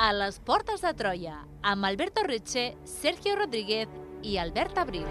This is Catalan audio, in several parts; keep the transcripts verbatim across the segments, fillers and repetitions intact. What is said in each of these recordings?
a les Portes de Troia, amb Alberto Reche, Sergio Rodríguez i Albert Abril.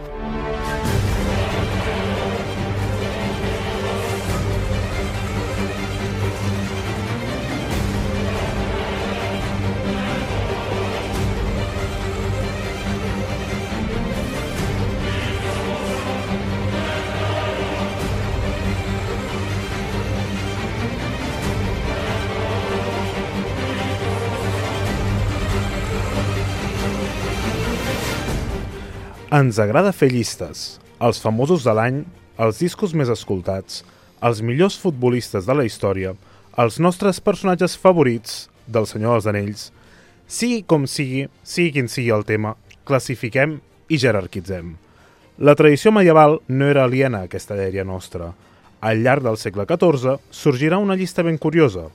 Ens agrada fer llistes, els famosos de l'any, els discos més escoltats, els millors futbolistes de la història, els nostres personatges favorits del Senyor dels Anells. Sigui com sigui, sigui quin sigui el tema, classifiquem i jerarquitzem. La tradició medieval no era aliena a aquesta dèria nostra. Al llarg del segle catorze sorgirà una llista ben curiosa,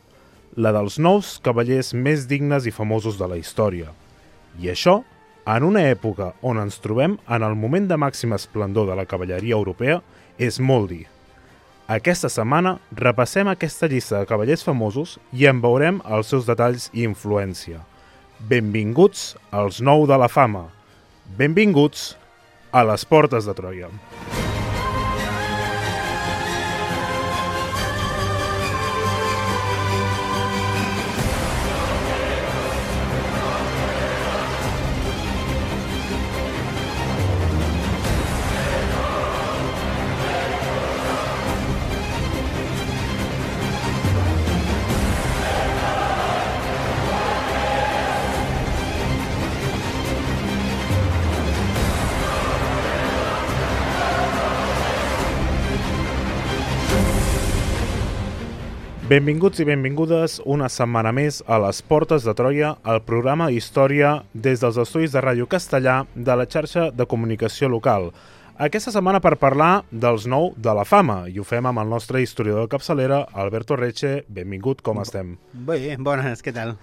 la dels nous cavallers més dignes i famosos de la història. I això en una època on ens trobem en el moment de màxim esplendor de la cavalleria europea, és molt dir. Aquesta setmana repassem aquesta llista de cavallers famosos i en veurem els seus detalls i influència. Benvinguts als nou de la fama. Benvinguts a les Portes de Troia. Benvinguts i benvingudes una setmana més a les Portes de Troia, el programa d'història des dels estudis de Ràdio Castellà de la xarxa de comunicació local. Aquesta setmana per parlar dels nou de la fama, i ho fem amb el nostre historiador de capçalera, Alberto Reche. Benvingut, com estem? Bé, bones, què tal?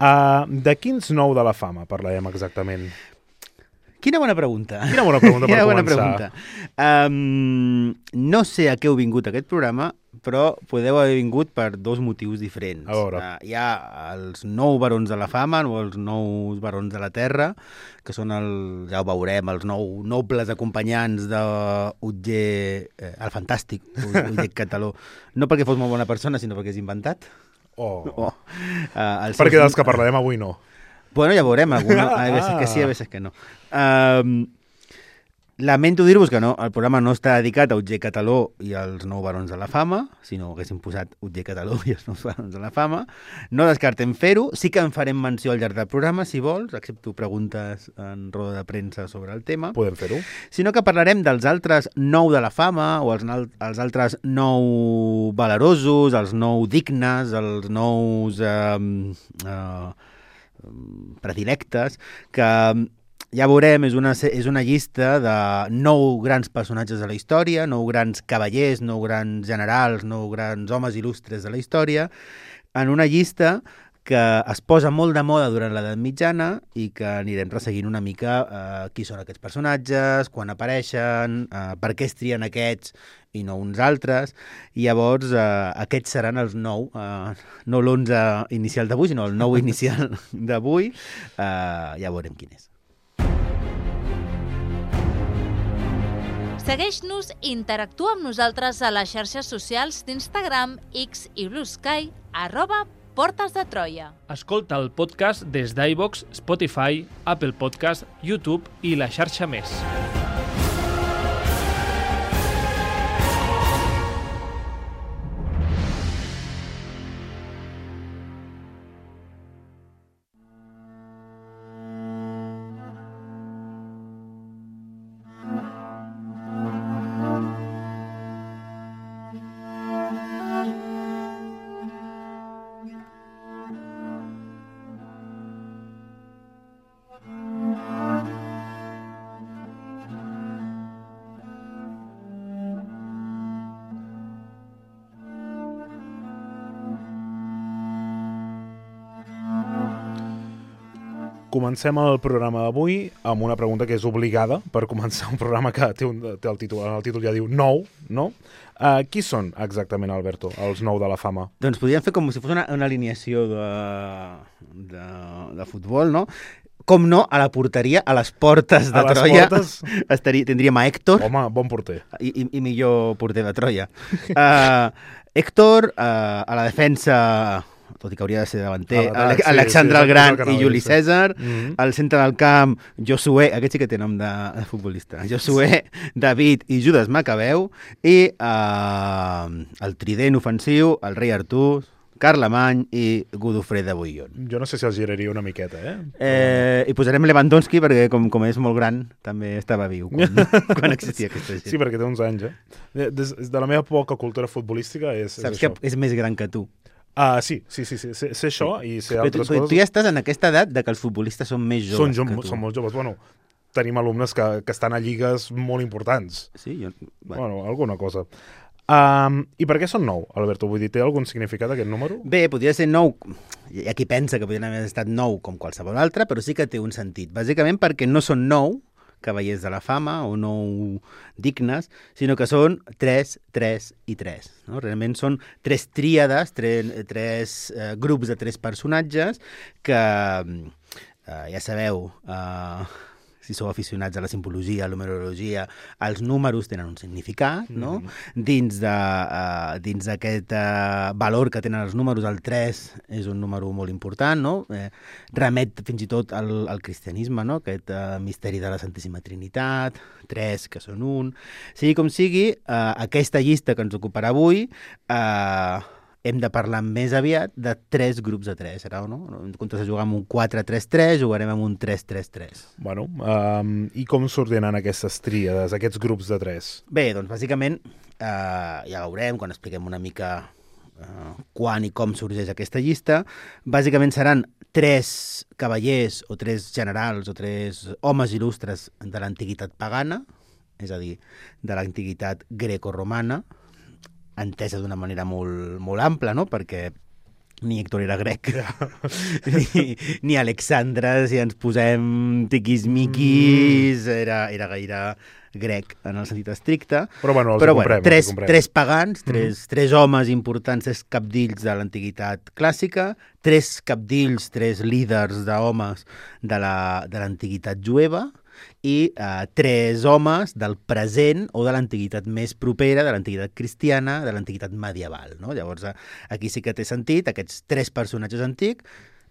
Uh, de quins nou de la fama parlarem exactament? Quina bona pregunta. Quina bona pregunta per Quina bona començar. Pregunta. Um, no sé a què heu vingut a aquest programa, però podeu haver vingut per dos motius diferents. A veure. Uh, hi ha els nou barons de la fama, o els nous barons de la terra, que són, el, ja ho veurem, els nou nobles acompanyants d'Utger, eh, el fantàstic Utger Cataló. No perquè fos molt bona persona, sinó perquè és inventat. Oh. Oh. Uh, perquè seus... dels que parlarem avui no. Bueno, ja veurem, alguna, a veces que sí, a veces que no. Um, lamento dir-vos que no, el programa no està dedicat a Utger Cataló i als nou barons de la fama, sinó que haguéssim posat Utger Cataló i els nous barons de la fama. No descartem fer-ho, sí que en farem menció al llarg del programa, si vols, accepto preguntes en roda de premsa sobre el tema. Podem fer-ho. Sinó que parlarem dels altres nou de la fama, o els, els altres nou valerosos, els nou dignes, els nous... Uh, uh, predilectes, que ja veurem, és una, és una llista de nou grans personatges de la història, nou grans cavallers, nou grans generals, nou grans homes il·lustres de la història, en una llista que es posa molt de moda durant l'edat mitjana i que anirem resseguint una mica eh, qui són aquests personatges, quan apareixen, eh, per què es trien aquests i no uns altres, i llavors eh, aquests seran els nou, eh, no l'onze inicial d'avui, sinó el nou inicial d'avui, eh, ja veurem quin és. Segueix-nos i interactua amb nosaltres a les xarxes socials d'Instagram, X i Blue Sky, arroba Portes de Troia. Escolta el podcast des d'iVoox, Spotify, Apple Podcast, YouTube i la xarxa més. Comencem el programa d'avui amb una pregunta que és obligada per començar un programa que té, un, té el títol, el títol ja diu nou, no? Uh, qui són exactament, Alberto, els nou de la fama? Doncs podríem fer com si fos una, una alineació de, de, de futbol, no? Com no, a la porteria, a les portes de A les Troia, portes? estaria, tindríem a Héctor, Home, bon porter. i, i, i millor porter de Troia. Uh, Héctor, uh, a la defensa, tot i que hauria de ser davanter, A l'atac, Ale sí, Alexandre sí, el Gran és el que i anava a Juli dir, sí. Cèsar, Mhm. al centre del camp, Josué, aquest sí que té nom de, de futbolista, Josué, David i Judas Macabeu, i uh, el trident ofensiu, el rei Artús, Carlemany i Godofré de Bouillon. Jo no sé si els giraria una miqueta, eh? Eh, I posarem Lewandowski perquè, com, com és molt gran, també estava viu quan, quan existia aquesta gent. Sí, perquè té uns anys, eh? Des, des de la meva poca cultura futbolística és, és Saps això. que és més gran que tu. Ah, sí, sí, sí, sí. Sé, sé això i sé Però tu, altres tu, coses. tu ja estàs en aquesta edat de que els futbolistes són més joves Són, jo, que tu. són molt joves. Bueno, tenim alumnes que, que estan a lligues molt importants. Sí, jo... Bueno, bueno alguna cosa. Um, I per què són nou, Alberto? Vull dir, té algun significat aquest número? Bé, podria ser nou, hi ha qui pensa que podria haver estat nou com qualsevol altre, però sí que té un sentit. Bàsicament perquè no són nou cavallers de la fama o nou dignes, sinó que són tres, tres i tres. No? Realment són tres tríades, tres, tres eh, grups de tres personatges que, eh, ja sabeu, eh, si sou aficionats a la simbologia, a la numerologia, els números tenen un significat, no? Mm-hmm. Dins de, uh, dins d'aquest uh, valor que tenen els números, el tres és un número molt important, no? Eh, remet fins i tot al, al cristianisme, no? Aquest uh, misteri de la Santíssima Trinitat, tres que són un... Sigui com sigui, uh, aquesta llista que ens ocuparà avui... Uh, hem de parlar més aviat de tres grups de tres, serà o no? En comptes de jugar amb un quatre tres tres, jugarem amb un tres tres tres. Bueno, um, i com s'ordenen aquestes tríades, aquests grups de tres? Bé, doncs bàsicament, eh, ja veurem quan expliquem una mica eh, quan i com sorgeix aquesta llista. Bàsicament seran tres cavallers o tres generals o tres homes il·lustres de l'antiguitat pagana, és a dir, de l'antiguitat greco-romana, entesa d'una manera molt, molt ampla, no? Perquè ni Héctor era grec, ni, ni Alexandre, si ens posem tiquismiquis, era, era gaire grec en el sentit estricte. Però bueno, els Però, hi comprem. bueno, tres, els hi comprem. tres pagans, tres, mm. tres homes importants, tres capdills de l'antiguitat clàssica, tres capdills, tres líders d'homes de l'antiguitat jueva, i eh, tres homes del present o de l'antiguitat més propera, de l'antiguitat cristiana, de l'antiguitat medieval. No? Llavors, eh, aquí sí que té sentit, aquests tres personatges antics,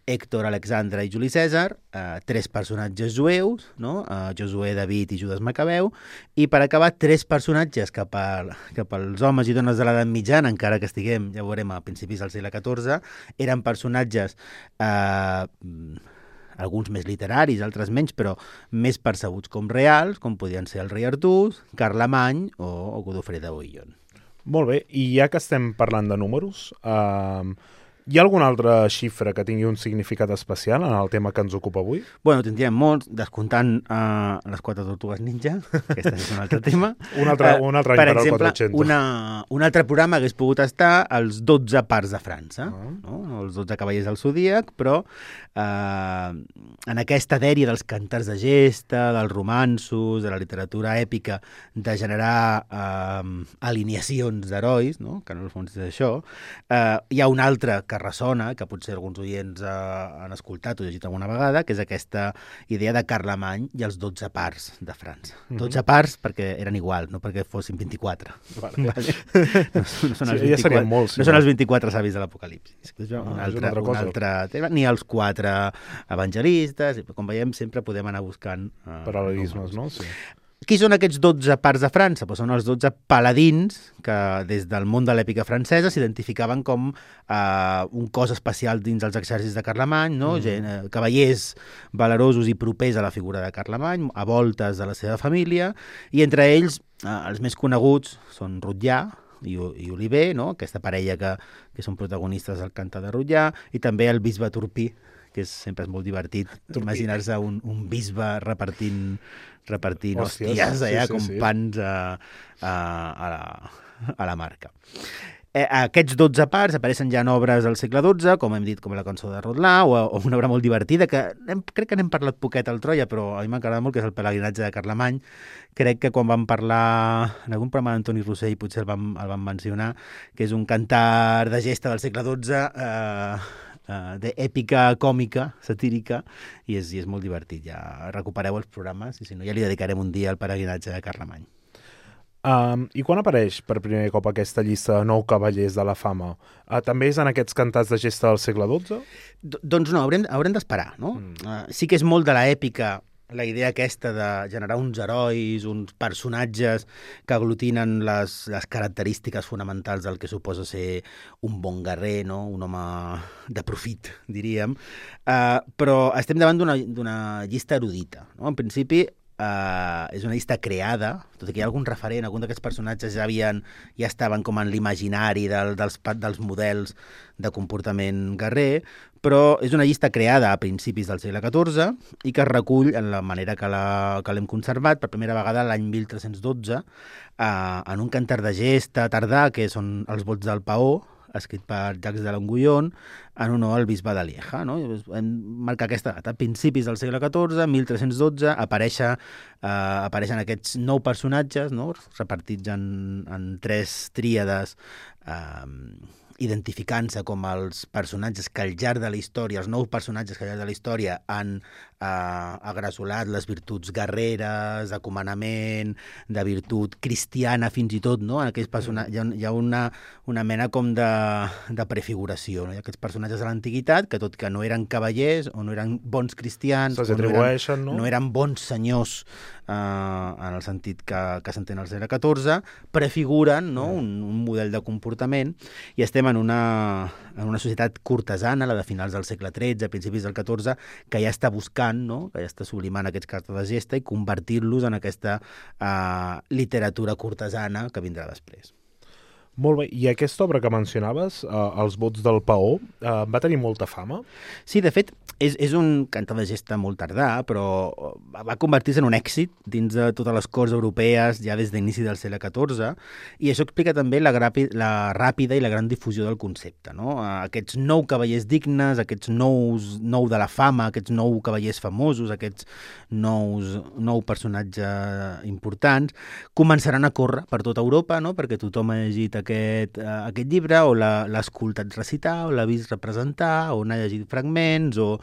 Héctor, Alexandre i Juli Cèsar, eh, tres personatges jueus, no? eh, Josué, David i Judas Macabeu, i per acabar, tres personatges cap, a, cap als homes i dones de l'edat mitjana, encara que estiguem, ja ho veurem, a principis del segle catorze, eren personatges... Eh, alguns més literaris, altres menys, però més percebuts com reals, com podien ser el rei Artús, Carlemany o, o Godofré de Bouillon. Molt bé, i ja que estem parlant de números, uh, hi ha alguna altra xifra que tingui un significat especial en el tema que ens ocupa avui? Bueno, tindríem molts, descomptant uh, les quatre tortugues ninja, aquest és un altre tema. Un altre, uh, un altre any per per exemple, al quatre-cents. una, un altre programa hagués pogut estar als dotze parts de França, Ah. no? Els dotze cavallers del Zodíac, però uh, en aquesta dèria dels cantars de gesta, dels romanços, de la literatura èpica, de generar uh, alineacions d'herois, no? Que en el fons és això, uh, hi ha un altre que ressona, que potser alguns oients eh, han escoltat o llegit alguna vegada, que és aquesta idea de Carlemany i els dotze parts de França. Mhm. dotze parts perquè eren igual, no perquè fossin vint-i-quatre. Vale. Vale? No, no són els Sí, ja serien vint-i-quatre, molts, sí, no són no? els vint-i-quatre savis de l'Apocalipsi. És un, Ah, és una altre, altra un cosa. altre tema, ni els quatre evangelistes, com veiem sempre podem anar buscant eh, Paral·lelismes, números. no? Sí. Qui són aquests dotze parts de França? Pues són els dotze paladins que des del món de l'èpica francesa s'identificaven com eh, un cos especial dins els exèrcits de Carlemany, no? Mm. Gent, eh, cavallers valerosos i propers a la figura de Carlemany, a voltes de la seva família, i entre ells eh, els més coneguts són Rotllà i, i Oliver, no? Aquesta parella que, que són protagonistes del Cantar de Rotllà, i també el bisbe Turpí, que és, sempre és molt divertit Turpí. imaginar-se un, un bisbe repartint repartint Hòsties, hòsties allà sí, sí, com sí. pans a, a, a, la, a la marca. Eh, aquests dotze parts apareixen ja en obres del segle dotze, com hem dit, com la cançó de Rodlà, o, o una obra molt divertida, que hem, crec que n'hem parlat poquet al Troia, però a mi m'agrada molt, que és el pelegrinatge de Carlemany. Crec que quan vam parlar en algun programa d'Antoni Rossell, potser el vam, el vam mencionar, que és un cantar de gesta del segle dotze, eh, uh, d'èpica còmica, satírica, i és, i és molt divertit. Ja recupereu els programes, i si no ja li dedicarem un dia al peregrinatge de Carlemany. Um, I quan apareix per primer cop aquesta llista de nou cavallers de la fama? Uh, també és en aquests cantats de gesta del segle dotze? D doncs no, haurem, haurem d'esperar, no? Mm. Uh, sí que és molt de l'èpica, la idea aquesta de generar uns herois, uns personatges que aglutinen les, les característiques fonamentals del que suposa ser un bon guerrer, no? Un home de profit, diríem. Uh, però estem davant d'una llista erudita, no? En principi, Uh, és una llista creada, tot i que hi ha algun referent, algun d'aquests personatges ja havien, ja estaven com en l'imaginari del, dels, dels models de comportament guerrer, però és una llista creada a principis del segle catorze i que es recull en la manera que l'hem conservat per primera vegada l'any mil tres-cents dotze uh, en un cantar de gesta tardà, que són els vots del Paó, escrit per Jacques de Longuyon, en honor al bisbe de Lieja. No? Hem marcat aquesta data. A principis del segle catorze, mil tres-cents dotze, apareixen, eh, apareixen aquests nou personatges, no? Repartits en, en tres tríades, eh, identificant-se com els personatges que al llarg de la història, els nous personatges que al llarg de la història han eh, agrasolat les virtuts guerreres, de comandament, de virtut cristiana fins i tot, no? En aquells personatges, hi ha, hi ha una, una mena com de, de prefiguració, no? Hi ha aquests personatges de l'antiguitat que tot que no eren cavallers o no eren bons cristians, se'ls atribueixen, no, eren, no? no eren bons senyors eh, en el sentit que, que s'entén al segle catorze, prefiguren, no? un, un model de comportament, i estem en una, en una societat cortesana, la de finals del segle tretze, principis del catorze, que ja està buscant, no? Que ja està sublimant aquests cartes de gesta i convertir-los en aquesta uh, literatura cortesana que vindrà després. Molt bé. I aquesta obra que mencionaves, uh, Els vots del Paó, uh, va tenir molta fama? Sí, de fet, és, és un cantar de gesta molt tardà, però va convertir-se en un èxit dins de totes les corts europees ja des d'inici del segle catorze, i això explica també la, grapi, la ràpida i la gran difusió del concepte. No? Aquests nou cavallers dignes, aquests nous, nou de la fama, aquests nou cavallers famosos, aquests nous, nou personatges importants, començaran a córrer per tota Europa, no? Perquè tothom ha llegit aquest, uh, aquest llibre, o l'ha escoltat recitar, o l'ha vist representar, o n'ha llegit fragments, o,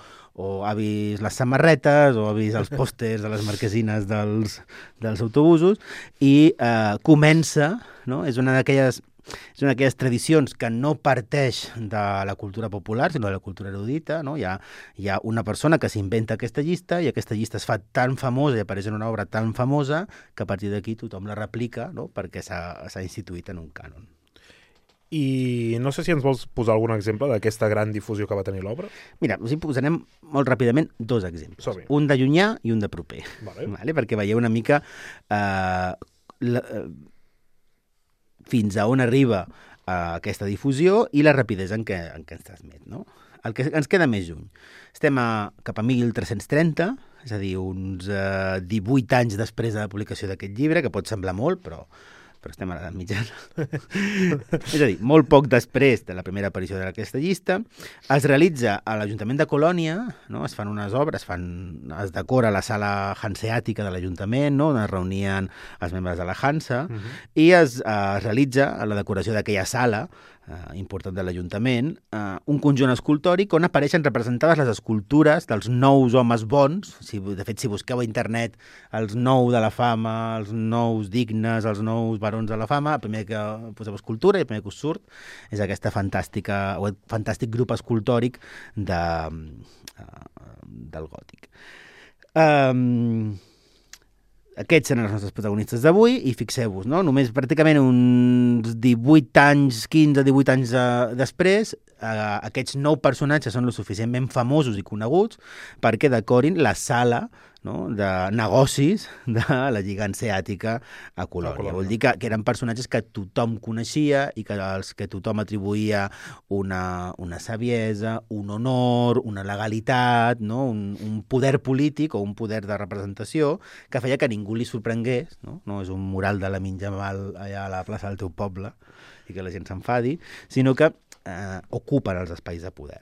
o ha vist les samarretes, o ha vist els pòsters de les marquesines dels, dels autobusos, i uh, comença, no? És una d'aquelles és una d'aquelles tradicions que no parteix de la cultura popular, sinó de la cultura erudita, no? Hi ha, hi ha una persona que s'inventa aquesta llista, i aquesta llista es fa tan famosa i apareix en una obra tan famosa que a partir d'aquí tothom la replica, no? Perquè s'ha instituït en un cànon. I no sé si ens vols posar algun exemple d'aquesta gran difusió que va tenir l'obra? Mira, us hi posarem molt ràpidament dos exemples. Som-hi. Un de llunyà i un de proper. Vale. Vale? Perquè veieu una mica eh, la, eh, fins a on arriba eh, aquesta difusió i la rapidesa en què, en què ens transmet. No? El que ens queda més lluny. Estem a, cap a mil tres-cents trenta, és a dir, uns eh, divuit anys després de la publicació d'aquest llibre, que pot semblar molt, però... però estem a l'edat mitjana. És a dir, molt poc després de la primera aparició d'aquesta llista, es realitza a l'Ajuntament de Colònia, no? Es fan unes obres, fan, es decora la sala hanseàtica de l'Ajuntament, no? On es reunien els membres de la Hansa, uh -huh. i es, eh, es realitza a la decoració d'aquella sala eh, important de l'Ajuntament, eh, un conjunt escultòric on apareixen representades les escultures dels nous homes bons. Si, de fet, si busqueu a internet els nou de la fama, els nous dignes, els nous barons de la fama, el primer que poseu escultura i el primer que us surt és aquesta fantàstica, o fantàstic grup escultòric de, uh, del gòtic. Um, Aquests són els nostres protagonistes d'avui, i fixeu-vos, no? Només pràcticament uns divuit anys, quinze divuit anys uh, després, uh, aquests nou personatges són lo suficientment famosos i coneguts perquè decorin la sala, no? De negocis de la Lliga Hanseàtica a Colònia. Colònia. Vol dir que, que eren personatges que tothom coneixia i que als que tothom atribuïa una, una saviesa, un honor, una legalitat, no? un, un poder polític o un poder de representació que feia que ningú li sorprengués, no? No és un mural de la Minjamal allà a la plaça del teu poble i que la gent s'enfadi, sinó que eh, ocupen els espais de poder.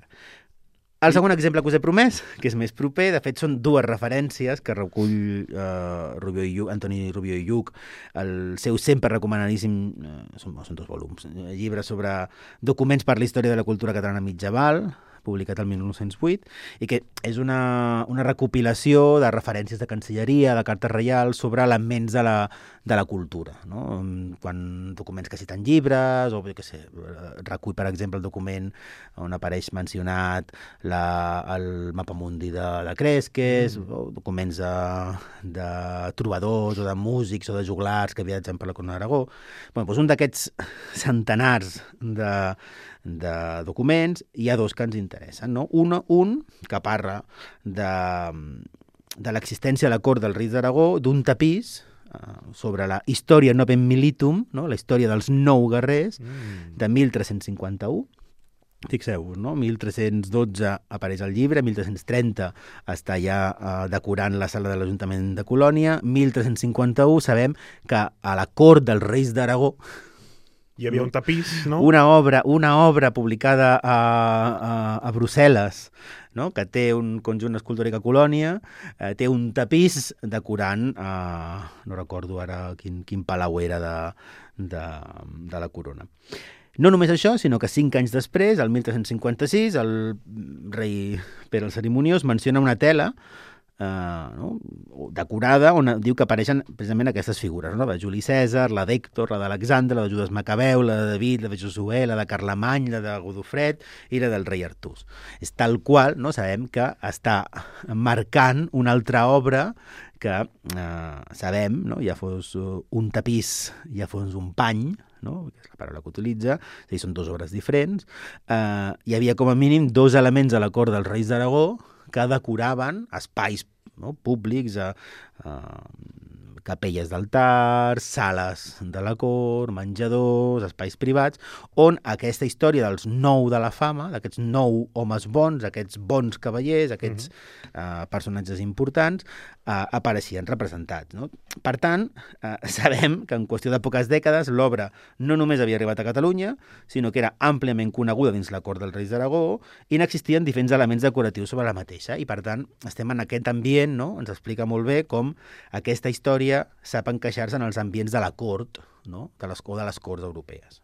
El segon exemple que us he promès, que és més proper, de fet són dues referències que recull eh, Rubió i Lluch, Antoni Rubió i Lluch, el seu sempre recomanadíssim, eh, són, són dos volums, eh, llibre sobre documents per la història de la cultura catalana mitjaval, publicat el mil nou-cents vuit, i que és una, una recopilació de referències de cancelleria, de cartes reials, sobre elements de la, de la cultura, no? Quan documents que citen llibres, o jo què sé, recull, per exemple, el document on apareix mencionat la, el mapamundi de, de Cresques, mm. o documents de, de trobadors o de músics o de joglars que viatgen per la Corona d'Aragó. Bueno, doncs un d'aquests centenars de, de documents, hi ha dos que ens interessen, no? Un, un que parla de, de l'existència a la cort dels reis d'Aragó d'un tapís uh, sobre la història novem militum, no? La història dels nou guerrers, mm. de mil tres-cents cinquanta-u. Fixeu-vos, no? mil tres-cents dotze apareix el llibre, mil tres-cents trenta està ja uh, decorant la sala de l'Ajuntament de Colònia, mil tres-cents cinquanta-u sabem que a la cort dels reis d'Aragó hi havia un tapís, no? Una obra, una obra publicada a, a, a Brussel·les, no? Que té un conjunt escultòric a Colònia, eh, té un tapís decorant, eh, no recordo ara quin, quin palau era de, de, de la corona. No només això, sinó que cinc anys després, el mil tres-cents cinquanta-sis, el rei Pere el Cerimoniós menciona una tela eh, no? decorada on diu que apareixen precisament aquestes figures, no? La de Juli Cèsar, la d'Hèctor, la d'Alexandre, la de Judes Macabeu, la de David, la de Josué, la de Carlemany, la de Godofred i la del rei Artús. És tal qual, no? Sabem que està marcant una altra obra que eh, sabem, no? Ja fos un tapís, ja fos un pany, no? Que és la paraula que utilitza, és a dir, són dues obres diferents. Eh, hi havia com a mínim dos elements a la cort dels reis d'Aragó que decoraven espais, no? Públics, eh, eh, capelles d'altars, sales de la cort, menjadors, espais privats, on aquesta història dels nou de la fama, d'aquests nou homes bons, aquests bons cavallers, aquests mm-hmm. eh, personatges importants, eh, apareixien representats, no? Per tant, eh, sabem que en qüestió de poques dècades l'obra no només havia arribat a Catalunya, sinó que era àmpliament coneguda dins la cort dels reis d'Aragó i n'existien diferents elements decoratius sobre la mateixa. I per tant, estem en aquest ambient, no? Ens explica molt bé com aquesta història sap encaixar-se en els ambients de la cort, no? de les, o de les corts europees.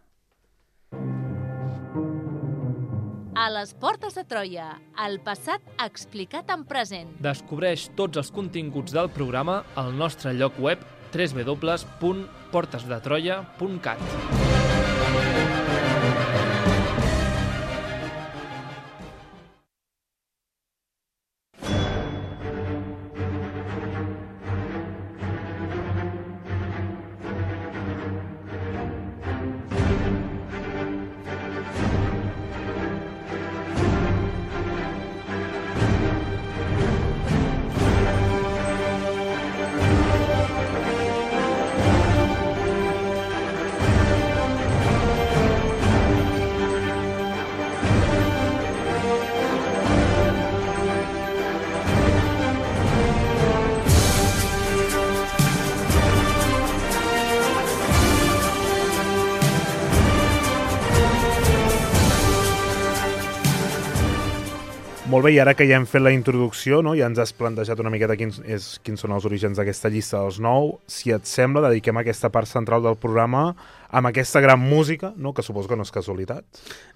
A les portes de Troia, el passat explicat en present. Descobreix tots els continguts del programa al nostre lloc web w w w punt portes de troia punt cat. Molt bé, i ara que ja hem fet la introducció, no? Ja ens has plantejat una miqueta quins, és, quins són els orígens d'aquesta llista dels nou, si et sembla, dediquem aquesta part central del programa amb aquesta gran música, no? Que suposo que no és casualitat.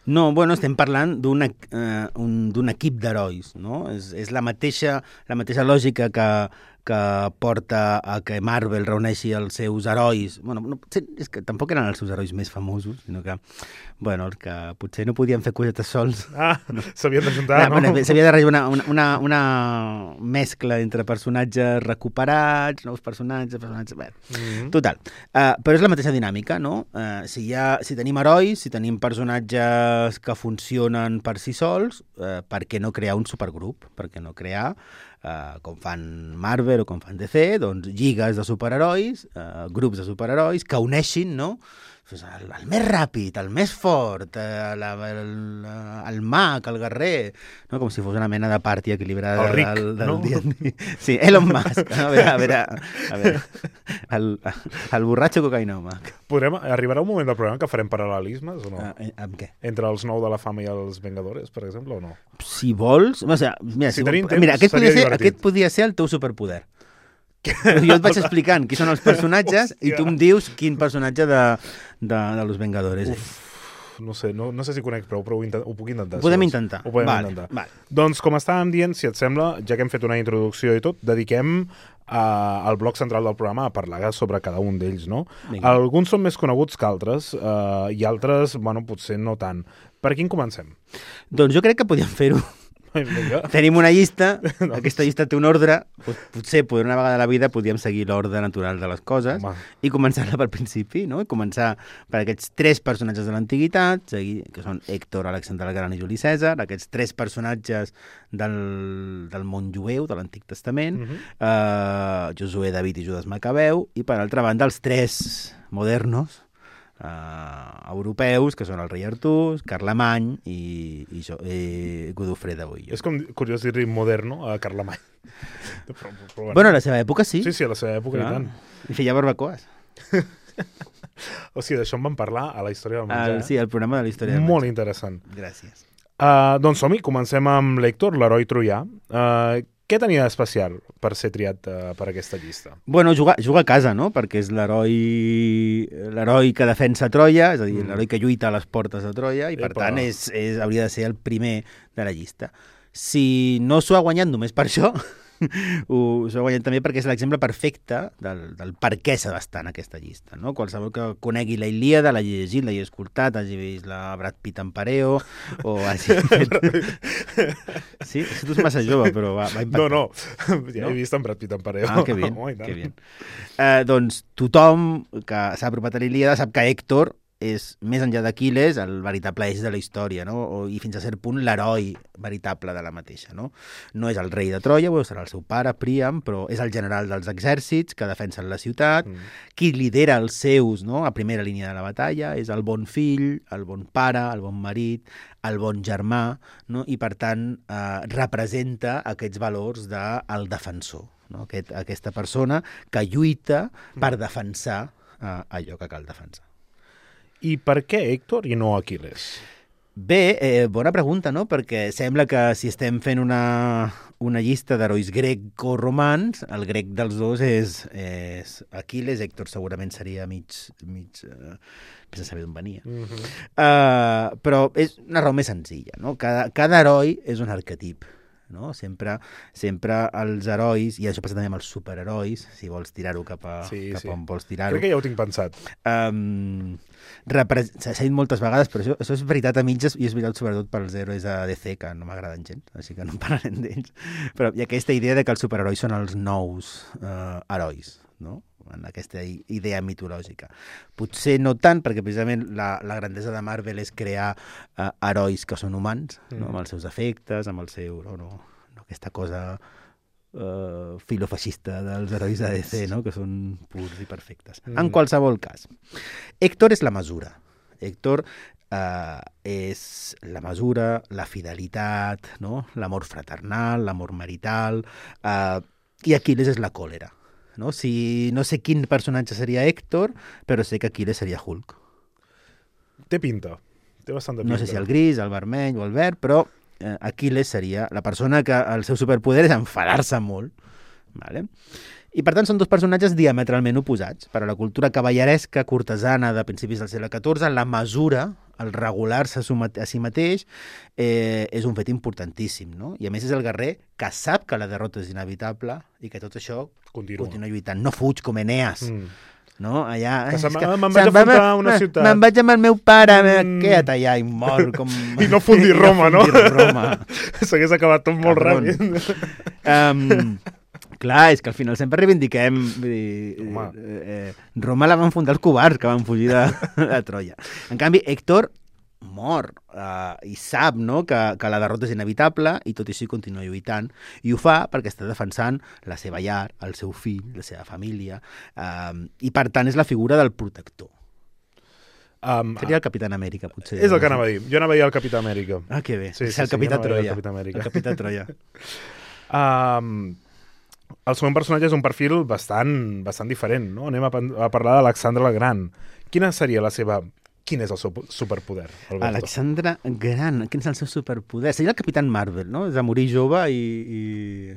No, bueno, estem parlant d'un eh, un, equip d'herois, no? És, és la mateixa, la mateixa lògica que, que porta a que Marvel reuneixi els seus herois. Bueno, no, és que tampoc eren els seus herois més famosos, sinó que, bueno, que potser no podien fer cosetes sols. Ah, no. S'havien d'ajuntar, no? no? S'havia de rebre una, una, una mescla entre personatges recuperats, nous personatges, personatges... Bé, mm-hmm. Total. Uh, però és la mateixa dinàmica, no? Uh, si, ha, si tenim herois, si tenim personatges que funcionen per si sols, uh, per què no crear un supergrup? Per què no crear, uh, com fan Marvel o com fan D C, doncs lligues de superherois, uh, grups de superherois que uneixin, no? El, el més ràpid, el més fort, el, el, el mag, el guerrer, no? Com si fos una mena de party equilibrada. El ric, del, del no? D and D. Sí, Elon Musk. A veure, a veure, a veure el, el borratxo cocainòmac. Podrem, arribarà un moment del programa que farem paral·lelismes o no? Uh, amb què? Entre els nou de la fama i els Vengadores, per exemple, o no? Si vols... O sigui, mira, si si tenim vol, temps, mira aquest, seria podia ser, divertit. aquest podia ser el teu superpoder. Jo et vaig explicant qui són els personatges i tu em dius quin personatge de, de, de Los Vengadores és. no sé, no, no sé si conec prou, però ho, intent, ho puc intentar. Ho podem si intentar. Ho podem vale, intentar. Vale. Doncs, com estàvem dient, si et sembla, ja que hem fet una introducció i tot, dediquem uh, el bloc central del programa a parlar sobre cada un d'ells, no? Vinga. Alguns són més coneguts que altres, uh, i altres, bueno, potser no tant. Per quin comencem? Doncs jo crec que podíem fer-ho. Vinga. Tenim una llista, aquesta llista té un ordre, potser per una vegada a la vida podíem seguir l'ordre natural de les coses. Home. I començar-la pel principi, no? I començar per aquests tres personatges de l'antiguitat, que són Héctor, Alexandre el Gran i Juli Cèsar, aquests tres personatges del, del món jueu, de l'Antic Testament, Mhm. eh, Josué, David i Judas Macabeu, i per altra banda els tres modernos, Uh, europeus, que són el rei Artús, Carlemany i, i, jo, i Godofré de Bouillon. És com curiós dir-li moderno a Carlemany. Però, però, Bueno, a la seva època sí. Sí, sí, a la seva època Clar. i tant. I feia barbacoes. O sigui, d'això en vam parlar a la història del menjar. El, sí, el programa de la història del Molt menjar. interessant. Gràcies. Uh, doncs som-hi, comencem amb l'Héctor, l'heroi troià. Uh, què tenia d'especial per ser triat uh, per aquesta llista? Bueno, juga, juga a casa, no? Perquè és l'heroi l'heroi que defensa Troia, és a dir, Mm. l'heroi que lluita a les portes de Troia, i per Epa. tant és, és, hauria de ser el primer de la llista. Si no s'ho ha guanyat només per això, ho, s'ho ha guanyat també perquè és l'exemple perfecte del, del per què s'ha d'estar en aquesta llista. No? Qualsevol que conegui la Ilíada, l'hagi llegit, l'hagi escoltat, hagi vist la Brad Pitt en Pareo, o hagi fet... Sí, això tu és massa jove, però va, va impactar. No, no, ja No? he vist en Brad Pitt en Pareo. Ah, que bien, Oh, i tant. que bien. Eh, doncs tothom que s'ha apropat a l'Ilíada sap que Héctor és, més enllà d'Aquiles, el veritable eix de la història, no? O, i fins a cert punt l'heroi veritable de la mateixa. No? No és el rei de Troia, o serà el seu pare, Príam, però és el general dels exèrcits que defensen la ciutat, Mm. qui lidera els seus, no? A primera línia de la batalla, és el bon fill, el bon pare, el bon marit, el bon germà, no? I per tant eh, representa aquests valors del defensor, no? Aquest, aquesta persona que lluita per defensar eh, allò que cal defensar. I per què Héctor i no Aquiles? Bé, eh, bona pregunta, no? Perquè sembla que si estem fent una, una llista d'herois greco-romans, el grec dels dos és, és Aquiles, Héctor segurament seria mig... mig eh, sense saber d'on venia. Mm -hmm. Uh, però és una raó més senzilla, no? Cada, cada heroi és un arquetip, no? Sempre, sempre els herois, i això passa també amb els superherois, si vols tirar-ho cap a, Sí, cap sí. on vols tirar-ho. Crec que ja ho tinc pensat. Um, repre- S'ha dit moltes vegades, però això, això és veritat a mitges, i és veritat sobretot pels herois de D C, que no m'agraden gens, així que no en parlarem d'ells. Però hi ha aquesta idea de que els superherois són els nous uh, herois, no? En aquesta i- idea mitològica. Potser no tant, perquè precisament la, la grandesa de Marvel és crear uh, herois que són humans, no? Mm. Amb els seus efectes, amb el seu... No, no, no aquesta cosa uh, filofeixista dels herois de D C, no? Que són purs i perfectes. Mm. En qualsevol cas, Héctor és la mesura. Héctor eh, és la mesura, la fidelitat, no? L'amor fraternal, l'amor marital, eh, i Aquiles és la còlera. No? Si, no sé quin personatge seria Héctor, però sé que Aquiles seria Hulk. Té pinta. Té bastanta pinta. No sé si el gris, el vermell o el verd, però eh, Aquiles seria la persona que el seu superpoder és enfadar-se molt. Vale? I per tant són dos personatges diametralment oposats. Per a la cultura cavalleresca cortesana de principis del segle catorze, la mesura, el regular-se a su mate- a si mateix, eh, és un fet importantíssim, no? I a més és el guerrer que sap que la derrota és inevitable i que tot això Continua. continua lluitant. No fuig com Eneas, Mm. no? Allà... Que és se'n va- que me'n vaig se'n a va- enfrontar a una me- ciutat. Me'n vaig amb el meu pare, Mm. mm. queda't allà i mor com... I no fundir Roma, no? fundir Roma. S'hagués acabat tot molt Cabron. ràpid. Um, clar, és que al final sempre reivindiquem... Vull dir, Home. eh, eh, Roma la van fundar els covards que van fugir de, de Troia. En canvi, Héctor mor uh, i sap, no?, que, que la derrota és inevitable i tot i així continua lluitant, i ho fa perquè està defensant la seva llar, el seu fill, la seva família, um, i per tant és la figura del protector. Um, Seria el Capitán Amèrica, potser. és el que anava a dir. Jo anava a dir el Capità Amèrica. Ah, que bé. Sí, és sí, el sí, Capità jo anava a dir Troia. el Capità Amèrica. El Capità Troia. Um, el segon personatge és un perfil bastant, bastant diferent, no? Anem a, pen- a parlar d'Alexandre el Gran. Quina seria la seva... Quin és el seu superpoder, Alberto? Alexandre Gran, quin és el seu superpoder? Seria el Capitán Marvel, no? És de morir jove i... i...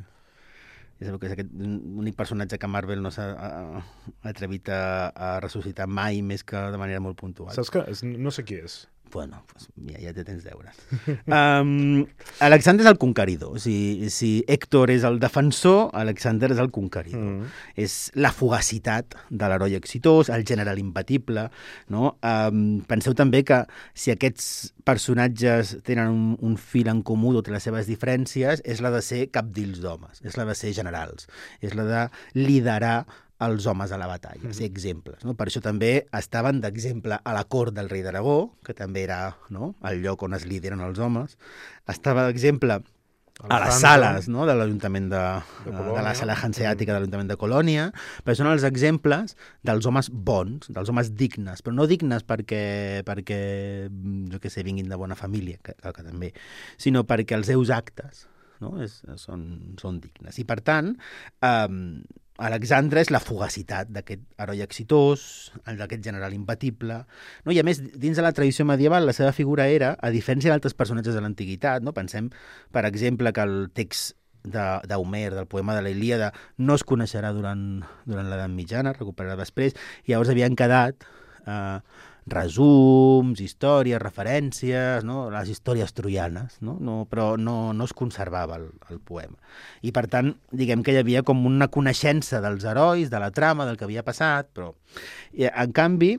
Ja sabeu que és aquest únic personatge que Marvel no s'ha a- a- atrevit a, a ressuscitar mai, més que de manera molt puntual. Saps que és- no sé qui és. Bueno, pues ja, ja té tens deures. Um, Alexandre és el conqueridor. Si, si Héctor és el defensor, Alexandre és el conqueridor. Mm. És la fugacitat de l'heroi exitós, el general imbatible. No? Um, penseu també que si aquests personatges tenen un, un fil en comú, totes les seves diferències, és la de ser cabdills d'homes, és la de ser generals, és la de liderar els homes a la batalla, ser exemples. No? Per això també estaven d'exemple a la cort del rei d'Aragó, que també era, no?, el lloc on es lideren els homes. Estava d'exemple a les sales, no?, de l'Ajuntament de, de, de la sala hanseàtica de l'Ajuntament de Colònia, però són els exemples dels homes bons, dels homes dignes, però no dignes perquè, perquè jo què sé, vinguin de bona família, que, que també, sinó perquè els seus actes, no?, és, són, són dignes. I per tant, eh, Alexandre és la fugacitat d'aquest heroi exitós, d'aquest general imbatible, no? I a més, dins de la tradició medieval, la seva figura era, a diferència d'altres personatges de l'antiguitat, no? Pensem, per exemple, que el text d'Homer, de, del poema de la Ilíada, no es coneixerà durant, durant l'edat mitjana, recuperarà després, i llavors havien quedat eh, resums, històries, referències, no? Les històries troianes, no? No, però no, no es conservava el, el poema. I per tant, diguem que hi havia com una coneixença dels herois, de la trama, del que havia passat, però I, en canvi,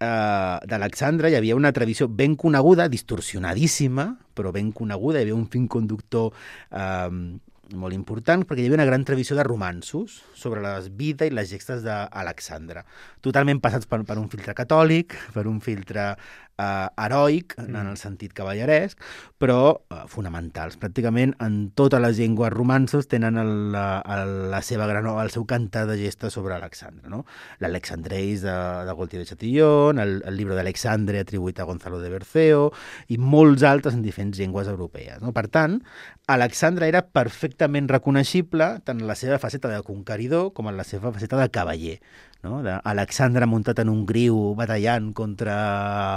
eh, d'Alexandre hi havia una tradició ben coneguda, distorsionadíssima, però ben coneguda, hi havia un fil conductor eh, molt important, perquè hi havia una gran tradició de romanços sobre la vida i les gestes d'Alexandre, totalment passats per, per un filtre catòlic, per un filtre eh, heroic, mm. en el sentit cavalleresc, però eh, fonamentals. Pràcticament en totes les llengües romanços tenen el, el, la seva gran, el seu cantar de gestes sobre Alexandre, no? L'Alexandreis de, de Gaultier de Chatillon, el, el llibre d'Alexandre atribuït a Gonzalo de Berceo, i molts altres en diferents llengües europees, no? Per tant, Alexandre era perfectament reconeixible tant en la seva faceta de conqueridor com en la seva faceta de cavaller, no? Alexandre muntat en un griu batallant contra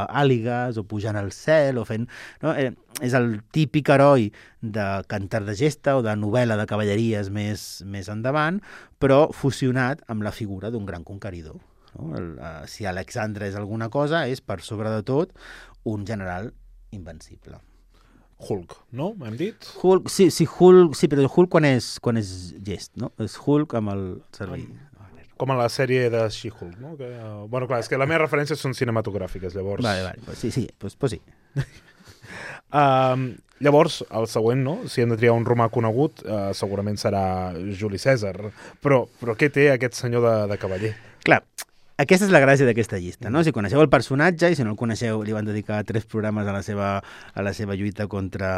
àligues o pujant al cel o fent... No? Eh, és el típic heroi de cantar de gesta o de novel·la de cavalleries més, més endavant, però fusionat amb la figura d'un gran conqueridor. No? El, uh, si Alexandre és alguna cosa, és per sobre de tot un general invencible. Hulk, no? Hem dit? Hulk, sí, sí, Hulk, sí, però Hulk quan és, quan és gest, no? És Hulk amb el cervell. Com a la sèrie de She-Hulk, no? Que, uh, bueno, clar, és que les meves referències són cinematogràfiques, llavors... Vale, vale, pues sí, sí, pues, pues sí. um, llavors, el següent, no? Si hem de triar un romà conegut, uh, segurament serà Juli Cèsar. Però, però què té aquest senyor de, de cavaller? Clar, aquesta és la gràcia d'aquesta llista, no? Si coneixeu el personatge, i si no el coneixeu, li van dedicar tres programes a la seva, a la seva lluita contra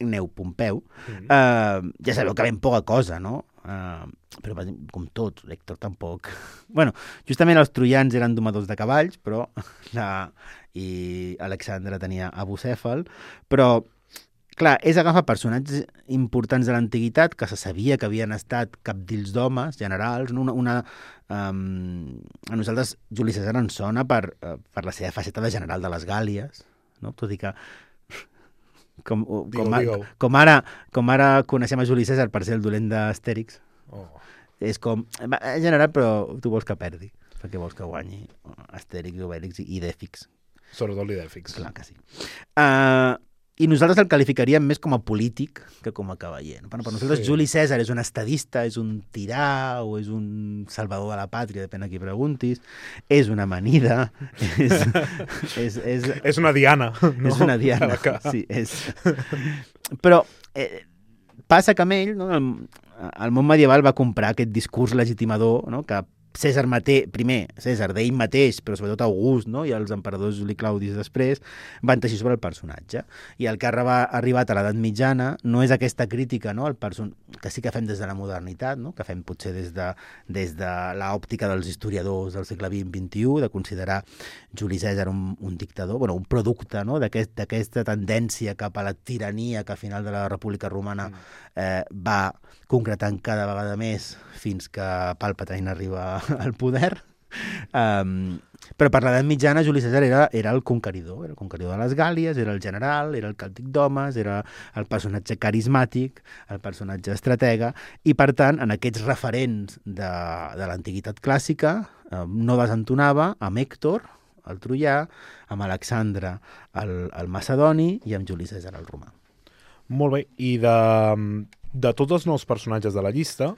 Gneu Pompeu, mm-hmm. uh, ja sabeu que ben poca cosa, no? Uh, però com tot, Héctor tampoc. Bueno, justament els troians eren domadors de cavalls, però la... i Alexandre tenia a Bucèfal, però clar, és agafar personatges importants de l'antiguitat que se sabia que havien estat cabdills d'homes, generals, no? una, una, um, a nosaltres Juli Cèsar ens sona per, uh, per la seva faceta de general de les Gàlies, no? Tot i que com, com, digo, a, digo. com, ara, com ara coneixem a Juli Cèsar per ser el dolent d'Astèrix, oh. és com, en general, però tu vols que perdi, perquè vols que guanyi Astèrix, Obèlix i Idèfix. Sobretot l'Idèfix. Clar que sí. Uh, I nosaltres el qualificaríem més com a polític que com a cavaller. No? Per nosaltres sí. Juli Cèsar és un estadista, és un tirà o és un salvador de la pàtria, depèn a qui preguntis, és una amanida, és... és, és, és una diana. No? És una diana, sí. És... Però eh, passa que amb ell, no, el, el món medieval va comprar aquest discurs legitimador, no, que Cèsar mateix, primer, Cèsar d'ell mateix, però sobretot August, no? I els emperadors Juli Claudis després, van teixir sobre el personatge. I el que ha arribat a l'edat mitjana no és aquesta crítica, no? El person... que sí que fem des de la modernitat, no? Que fem potser des de, des de l'òptica dels historiadors del segle vint vint i u, de considerar Juli Cèsar un, un dictador, bueno, un producte, no? d'aquesta aquest, tendència cap a la tirania que a final de la República Romana eh, va concretant cada vegada més fins que Palpatine arriba al poder. Um, però per l'edat mitjana Juli Cèsar era, era el conqueridor, era el conqueridor de les Gàlies, era el general, era el càltic d'homes, era el personatge carismàtic, el personatge estratega, i per tant, en aquests referents de, de l'antiguitat clàssica, eh, no desentonava amb Héctor, el troià, amb Alexandre el, el macedoni i amb Juli Cèsar el romà. Molt bé, i de, de tots els nous personatges de la llista,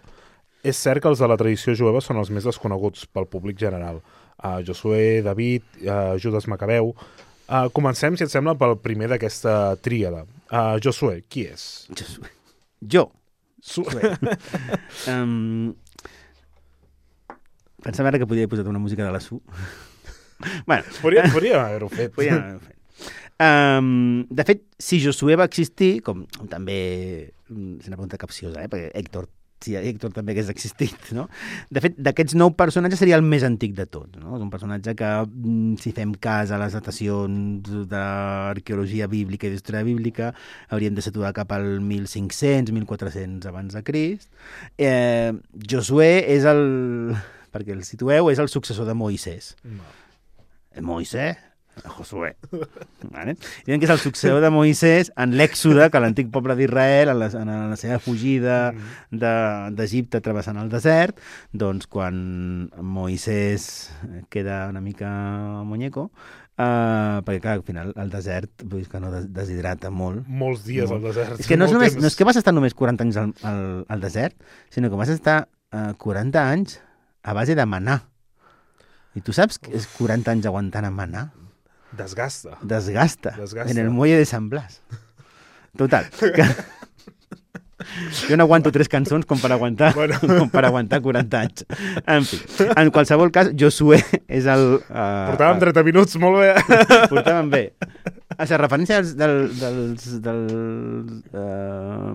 és cert que els de la tradició jueva són els més desconeguts pel públic general. Uh, Josué, David, uh, Judas Macabeu... Uh, comencem, si et sembla, pel primer d'aquesta tríada. Uh, Josué, qui és? Josué. Jo. Su... um, pensava ara que podia haver posat una música de la Su. bueno, podria, podria haver-ho fet. Podria haver-ho fet. Um, de fet, si Josué va existir, com també és una pregunta capciosa, eh? perquè Héctor si Héctor també hagués existit, no? De fet, d'aquests nou personatges seria el més antic de tot, no? És un personatge que, si fem cas a les datacions d'arqueologia bíblica i d'història bíblica, hauríem de situar cap al mil cinc-cents, mil quatre-cents abans de Crist. Eh, Josué és el... perquè el situeu, és el successor de Moisès. No. Moisès? Josué. Vale? Diuen que és el successor de Moisès en l'èxode, que l'antic poble d'Israel, en, la, en la seva fugida d'Egipte de, travessant el desert, doncs quan Moisès queda una mica muñeco, uh, perquè clar, al final el desert vull dir que no deshidrata molt. Molts dies molt. al desert. És que no és, només, no és que vas estar només quaranta anys al, al, al desert, sinó que vas estar uh, quaranta anys a base de manar. I tu saps que és quaranta anys aguantant a manar? Desgasta. Desgasta. Desgasta. En el muelle de San Blas. Total. Que... Jo no aguanto tres cançons com per aguantar, bueno. com per aguantar quaranta anys. En fi, en qualsevol cas, Josué és el... Uh, Portàvem trenta minuts, molt bé. Portàvem bé. A la referència dels... dels, dels, dels uh,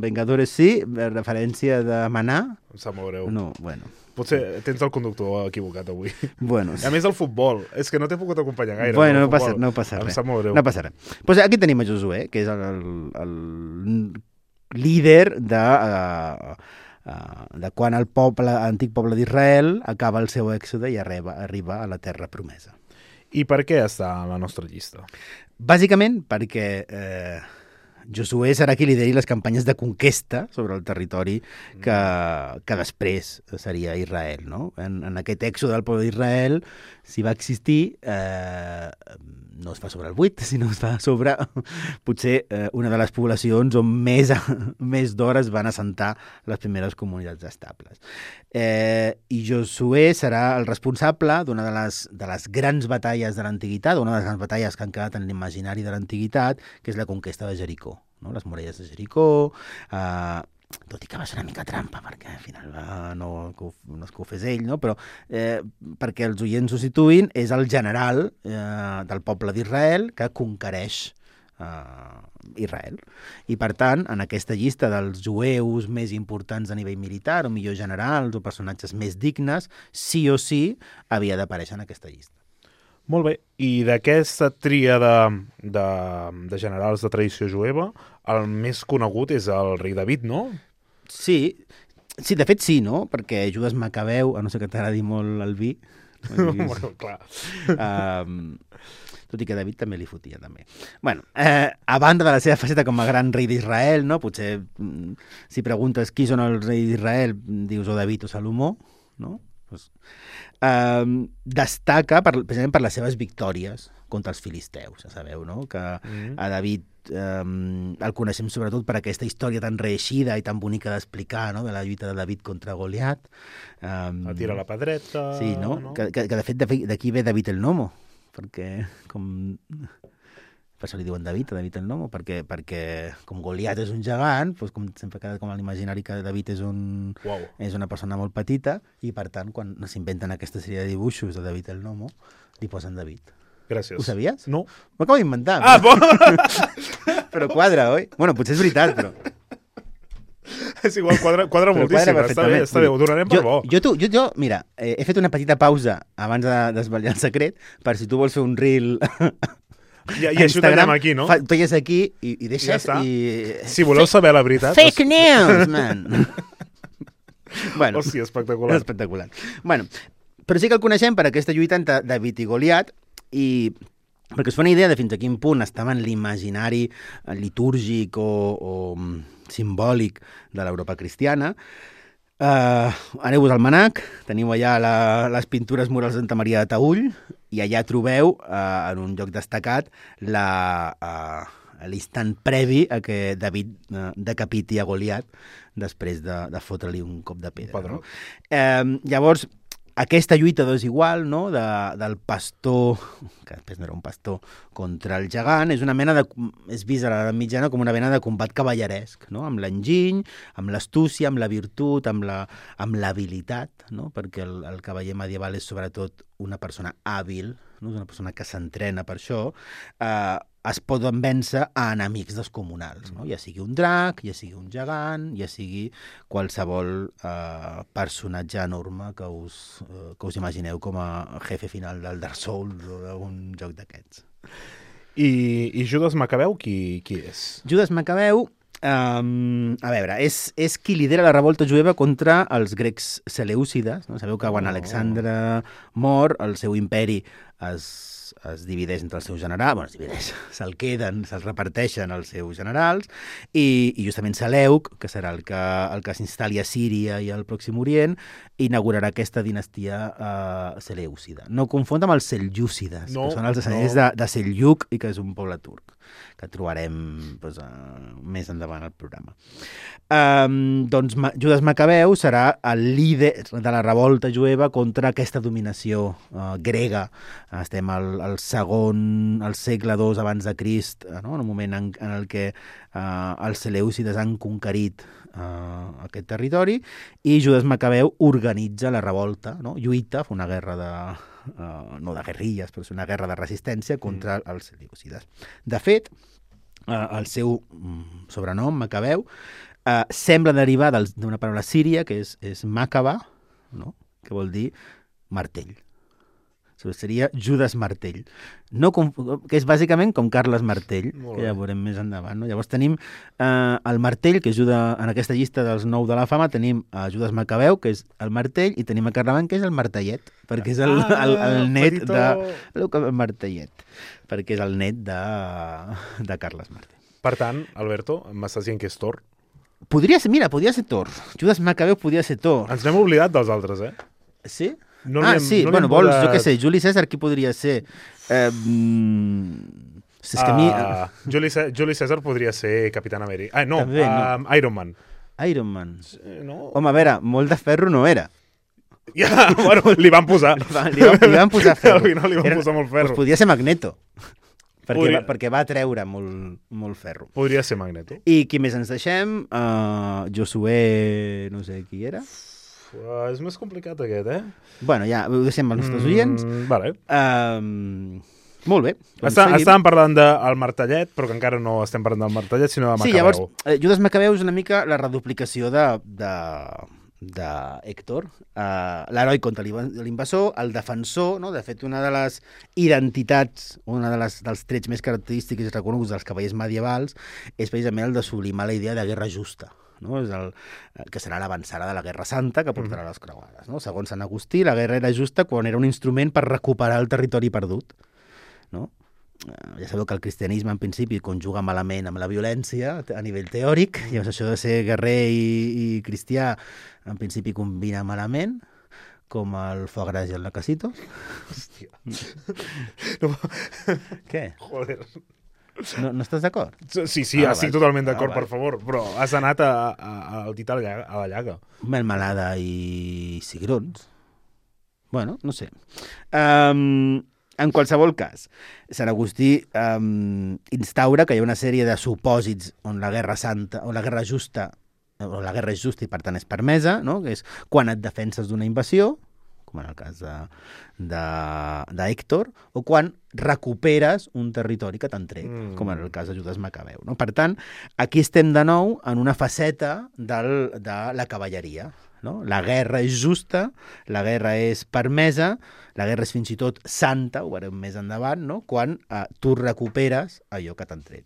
Vengadores sí, referència de manar... Em sap molt greu. No, bueno... Potser tens el conductor equivocat avui. Bueno, sí. A més, el futbol. És que no t'he pogut acompanyar gaire. Bueno, no passa, no passa res. Em sap molt greu. No passa res. Pues aquí tenim a Josué, que és el, el, el líder de, uh, uh, de quan el poble, l'antic poble d'Israel acaba el seu èxode i arriba, arriba a la terra promesa. I per què està a la nostra llista? Bàsicament perquè... Eh, Josué serà qui lideri les campanyes de conquesta sobre el territori que, que després seria Israel, no? En, en aquest èxode del poble d'Israel, si va existir, eh, no es fa sobre el buit, sinó es fa sobre potser eh, una de les poblacions on més, més d'hores van assentar les primeres comunitats estables. Eh, I Josué serà el responsable d'una de les, de les grans batalles de l'antiguitat, una de les grans batalles que han quedat en l'imaginari de l'antiguitat, que és la conquesta de Jericó. No? Les muralles de Jericó, eh, tot i que va ser una mica trampa, perquè al final va, no, no és que ho fes ell, no? Però eh, perquè els oients ho situïn, és el general eh, del poble d'Israel que conquereix eh, Israel. I per tant, en aquesta llista dels jueus més importants a nivell militar, o millor generals, o personatges més dignes, sí o sí havia d'aparèixer en aquesta llista. Molt bé, i d'aquesta tria de, de, de generals de tradició jueva, el més conegut és el rei David, no? Sí, sí, de fet sí, no? Perquè Judas Macabeu, a no ser que t'agradi molt el vi... bueno, clar. Um, tot i que David també li fotia, també. Bueno, eh, a banda de la seva faceta com a gran rei d'Israel, no? Potser, si preguntes qui són els reis d'Israel, dius o David o Salomó, no? Pues, um, destaca per, precisament per les seves victòries contra els filisteus, ja sabeu, no? Que mm. a David um, el coneixem sobretot per aquesta història tan reeixida i tan bonica d'explicar, no? De la lluita de David contra Goliat. Um, a tirar la pedreta... Sí, no? no? Que, que, que de fet d'aquí ve David el Nomo, perquè com... Per això li diuen David, a David el Nomo, perquè, perquè com Goliat és un gegant, doncs com sempre queda com a l'imaginari que David és, un, wow. és una persona molt petita, i per tant, quan s'inventen aquesta sèrie de dibuixos de David el Nomo, li posen David. Gràcies. Ho sabies? No. Ho acabo d'inventar. Ah, però... bo! però quadra, oi? Bueno, potser és veritat, però... És igual, quadra, quadra moltíssim. Quadra està bé, està bé, ho donarem per jo, bo. Jo, tu, jo, jo, mira, eh, he fet una petita pausa abans de desvetllar el secret, per si tu vols fer un reel... I, i això ho tallem aquí, no? Fa, tolles aquí i, i deixes... Ja i... Si voleu saber la veritat... Fake news, man! bueno, Hòstia, espectacular. Espectacular. Bueno, però sí que el coneixem per aquesta lluita entre David i Goliat, i perquè us fa una idea de fins a quin punt estava en l'imaginari litúrgic o, o simbòlic de l'Europa cristiana, Uh, Aneu-vos al Manac, teniu allà la, les pintures murals de Santa Maria de Taüll i allà trobeu, uh, en un lloc destacat, la, uh, l'instant previ a que David uh, decapiti a Goliat després de, de fotre-li un cop de pedra. No? Uh, llavors, aquesta lluita desigual, no?, de, del pastor, que després no era un pastor, contra el gegant, és una mena de... és vist a l'edat mitjana com una mena de combat cavalleresc, no?, amb l'enginy, amb l'astúcia, amb la virtut, amb la, amb l'habilitat, no?, perquè el, el cavaller medieval és sobretot una persona hàbil, no?, és una persona que s'entrena per això, eh, es poden vèncer a enemics descomunals, no? Ja sigui un drac, ja sigui un gegant, ja sigui qualsevol eh, personatge enorme que us, eh, que us imagineu com a jefe final del Dark Souls o d'un joc d'aquests. I, I Judes Macabeu, qui, qui és? Judes Macabeu, um, a veure, és, és qui lidera la revolta jueva contra els grecs selèucides. No? Sabeu que quan Oh. Alexandre mor, el seu imperi es, es divideix entre els seus generals, bueno, es divideix, se'l queden, se'l reparteixen els seus generals, i, i justament Seleuc, que serà el que, el que s'instal·li a Síria i al Pròxim Orient, inaugurarà aquesta dinastia uh, selèucida. No confondre amb els seljúcides, No, que són els descendents no. de, de Seljuk i que és un poble turc, que trobarem doncs, uh, més endavant al programa. Um, doncs Ma- Judes Macabeu serà el líder de la revolta jueva contra aquesta dominació uh, grega. Estem al, al segon, al segle dos abans de Crist, uh, no? En un moment en, en el que uh, els selèucides han conquerit uh, aquest territori, i Judes Macabeu organitza la revolta, no? Lluita, fa una guerra de... Uh, no de guerrilles, però és una guerra de resistència contra mm. els selèucides. De fet, uh, el seu mm, sobrenom, Macabeu, uh, sembla derivar dels- d'una paraula síria, que és, és Macaba, no? Que vol dir martell. Seria Judes Martell, no com, que és bàsicament com Carles Martell, Molt que ja bé. veurem més endavant. No? Llavors tenim eh, el Martell, que ajuda en aquesta llista dels nou de la fama, tenim a Judes Macabeu, que és el Martell, i tenim a Carlemany, que és el Martellet, perquè és el, Ah, el, el net petitó. de... El Martellet, perquè és el net de, de Carles Martell. Per tant, Alberto, m'estàs dient que és Thor. Podria ser, mira, podria ser Thor. Judes Macabeu podria ser Thor. Ens n'hem oblidat dels altres, eh? Sí? No li ah, hem- sí, no li bueno, hem vols, posat- jo què sé, Juli César, qui podria ser? Eh, mm, és que a mi... Uh, Juli, Cè- Juli César podria ser Capitán Amèrica. Ah, no, També, no. um, Iron Man. Iron Man. Eh, No? Home, a veure, molt de ferro no era. Ja, bueno, li van posar. Li van, li van, li van posar ferro. Al final li van Era- posar molt Doncs ferro. podria ser Magneto. Perquè, Podria- va, perquè va treure molt, molt ferro. Podria ser Magneto. I qui més ens deixem? Uh, Josué, no sé qui era. Uh, és més complicat aquest, eh? Bueno, ja, ho deixem als nostres oients. Mm, vale. Uh, molt bé. Doncs Està, seguim. estàvem parlant del Martellet, però que encara no estem parlant del Martellet, sinó de Macabeu. Sí, llavors, eh, Judes Macabeu és una mica la reduplicació de, de, de Héctor, uh, l'heroi contra l'inva- l'invasor, el defensor, no? De fet, una de les identitats, una de les, dels trets més característics i reconeguts dels cavallers medievals és precisament el de sublimar la idea de guerra justa. No? És el, que serà l'avançada de la Guerra Santa que portarà les creuades. No? Segons Sant Agustí, la guerra era justa quan era un instrument per recuperar el territori perdut. No? Eh, Ja sabeu que el cristianisme en principi conjuga malament amb la violència a nivell teòric, i llavors això de ser guerrer i, i cristià en principi combina malament, com el foie gras i el lacasitos. Hòstia. No, Què? joder. No, no estàs d'acord? Sí, sí, Ah, estic val. totalment Ah, d'acord, val. per favor, però has anat a, a, a, al dit a la llaga. A la llaga. Melmelada i cigrons. Bueno, no sé. Um, en qualsevol cas, Sant Agustí um, instaura que hi ha una sèrie de supòsits on la guerra santa, o la guerra justa, o la guerra és justa i per tant és permesa, no? Que és quan et defenses d'una invasió, com en el cas de, de, de Héctor, o quan recuperes un territori que t'han tret, Mm. mm. com en el cas de Judes Macabeu. No? Per tant, aquí estem de nou en una faceta del, de la cavalleria. No? La guerra és justa, la guerra és permesa, la guerra és fins i tot santa, ho veurem més endavant, no? Quan eh, tu recuperes allò que t'han tret.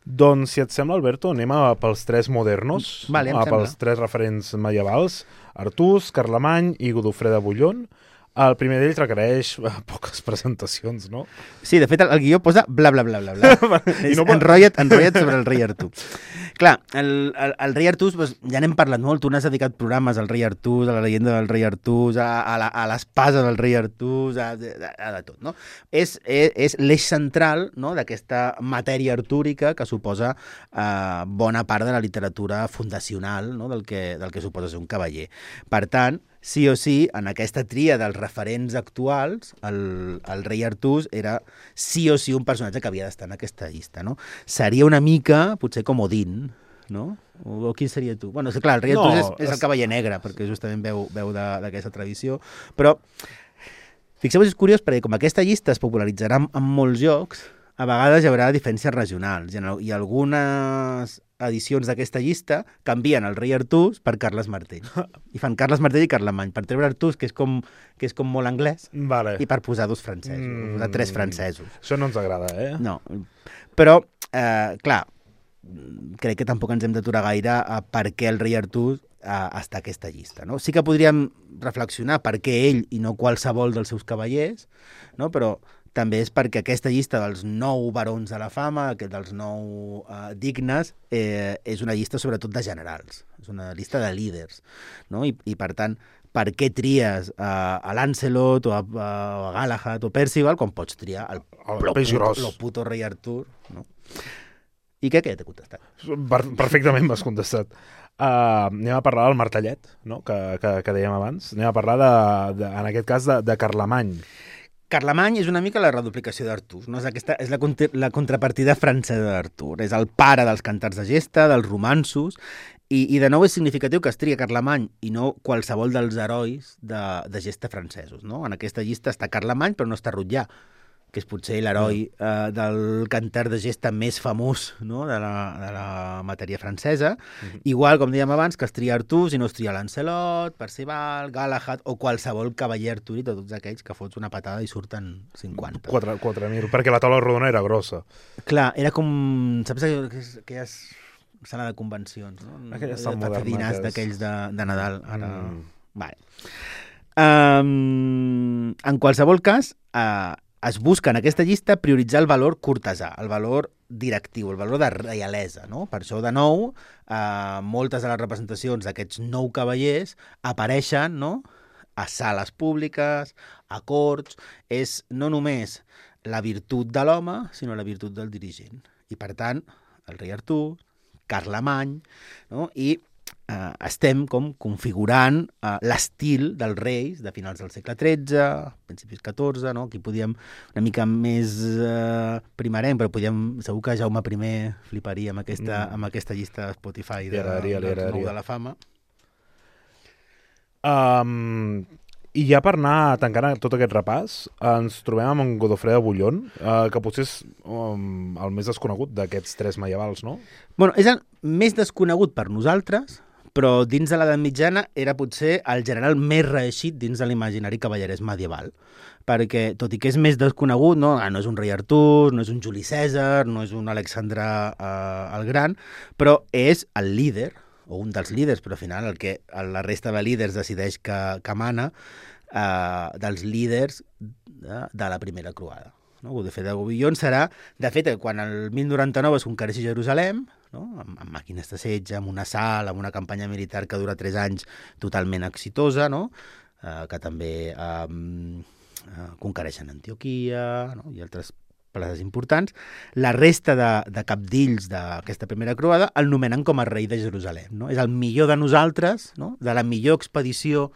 Doncs, si et sembla, Alberto, anem a pels tres modernos, Vale, em a sembla. pels tres referents medievals, Artús, Carlemany i Godofré de Bouillon. El primer d'ells requereix eh, poques presentacions, no? Sí, de fet, el, el guió posa bla, bla, bla, bla, bla. I És no pot- enrotlla't, enrotlla't sobre el rei Artú. Clar, el, el, el rei Artús, doncs, ja n'hem parlat molt, tu n'has dedicat programes al rei Artús, a la llegenda del rei Artús, a, a, la, a l'espasa del rei Artús, a, a, a de tot, no? És, és, és l'eix central, no?, d'aquesta matèria artúrica que suposa eh, bona part de la literatura fundacional, no?, del que, del que suposa ser un cavaller. Per tant, sí o sí, en aquesta tria dels referents actuals, el, el rei Artús era sí o sí un personatge que havia d'estar en aquesta llista, no? Seria una mica, potser com Odín, no? O, o quin seria tu? Bueno, és clar, el rei Artús no, és, és el cavaller negre, perquè justament veu, veu d'aquesta tradició, però fixeu-vos, és curiós, perquè com aquesta llista es popularitzarà en, en molts llocs, a vegades hi haurà diferències regionals, i, en, i algunes edicions d'aquesta llista canvien el rei Artús per Carles Martell. I fan Carles Martell i Carlemany, per treure Artús, que és com, que és com molt anglès, vale. I per posar dos francesos, mm, posar tres francesos. Això no ens agrada, eh? No, però, eh, clar, crec que tampoc ens hem d'aturar gaire a per què el rei Artús eh, està a aquesta llista, no? Sí que podríem reflexionar per què ell i no qualsevol dels seus cavallers, no? Però també és perquè aquesta llista dels nou barons de la fama, dels nou uh, dignes, eh, és una llista sobretot de generals, és una llista de líders, no? I, i per tant, per què tries uh, a Lancelot o a, a Galahad o Percival quan pots triar el, el, el peix gros, el puto rei Artur, no? I què, què t'he contestat? Per, perfectament m'has contestat. Uh, anem a parlar del martellet, no? que, que, que dèiem abans. Anem a parlar, de, de, en aquest cas, de, de Carlemany. Carlemany és una mica la reduplicació d'Artús, no? És, aquesta, és la, contra, la contrapartida francesa d'Artur. És el pare dels cantars de gesta, dels romanços, i, i de nou és significatiu que es tria Carlemany i no qualsevol dels herois de, de gesta francesos, no? En aquesta llista està Carlemany, però no està Rotllà, que és potser l'heroi eh, del cantar de gesta més famós, no?, de, la, de la matèria francesa. Mm-hmm. Igual, com dèiem abans, que es tria Artús i no es tria Lancelot, Percival, Galahad o qualsevol cavaller artúric de tots aquells que fots una patada i surten cinquanta. quatre mil, perquè la taula rodona era grossa. Clar, era com... Saps aquelles sala de convencions, no? Aquelles dinars d'aquells de, de Nadal. Ara... Mm. Vale. Um, en qualsevol cas... Uh, es busca en aquesta llista prioritzar el valor cortesà, el valor directiu, el valor de reialesa, no? Per això, de nou, eh, moltes de les representacions d'aquests nou cavallers apareixen, no?, a sales públiques, a corts. És no només la virtut de l'home, sinó la virtut del dirigent. I, per tant, el rei Artur, Carlemany, no?, i Uh, estem com configurant uh, l'estil dels reis de finals del segle tretze, principis catorze, no? Aquí podíem una mica més uh, primerenc, però podíem, segur que Jaume primer fliparia amb aquesta, mm. amb aquesta llista de Spotify de, araria, dels nou de la fama. Um, I ja per anar tancant tot aquest repàs, ens trobem amb en Godofré de Bouillon, uh, que potser és um, el més desconegut d'aquests tres medievals, no? Bueno, és el més desconegut per nosaltres, però dins de l'edat mitjana era potser el general més reeixit dins de l'imaginari cavallerès medieval, perquè tot i que és més desconegut, no, ah, no és un rei Artur, no és un Juli Cèsar, no és un Alexandre eh, el Gran, però és el líder, o un dels líders, però al final el que la resta de líders decideix que, que mana, eh, dels líders de, de la primera croada. No? Godofré de Bouillon serà, de fet, quan el mil noranta-nou es conquereixi Jerusalem, no? amb, amb màquines de setge, amb un assalt, amb una campanya militar que dura tres anys totalment exitosa, no? eh, que també eh, eh, conquereixen Antioquia, no? I altres places importants. La resta de, de capdills d'aquesta primera croada el nomenen com a rei de Jerusalem. No? És el millor de nosaltres, no? De la millor expedició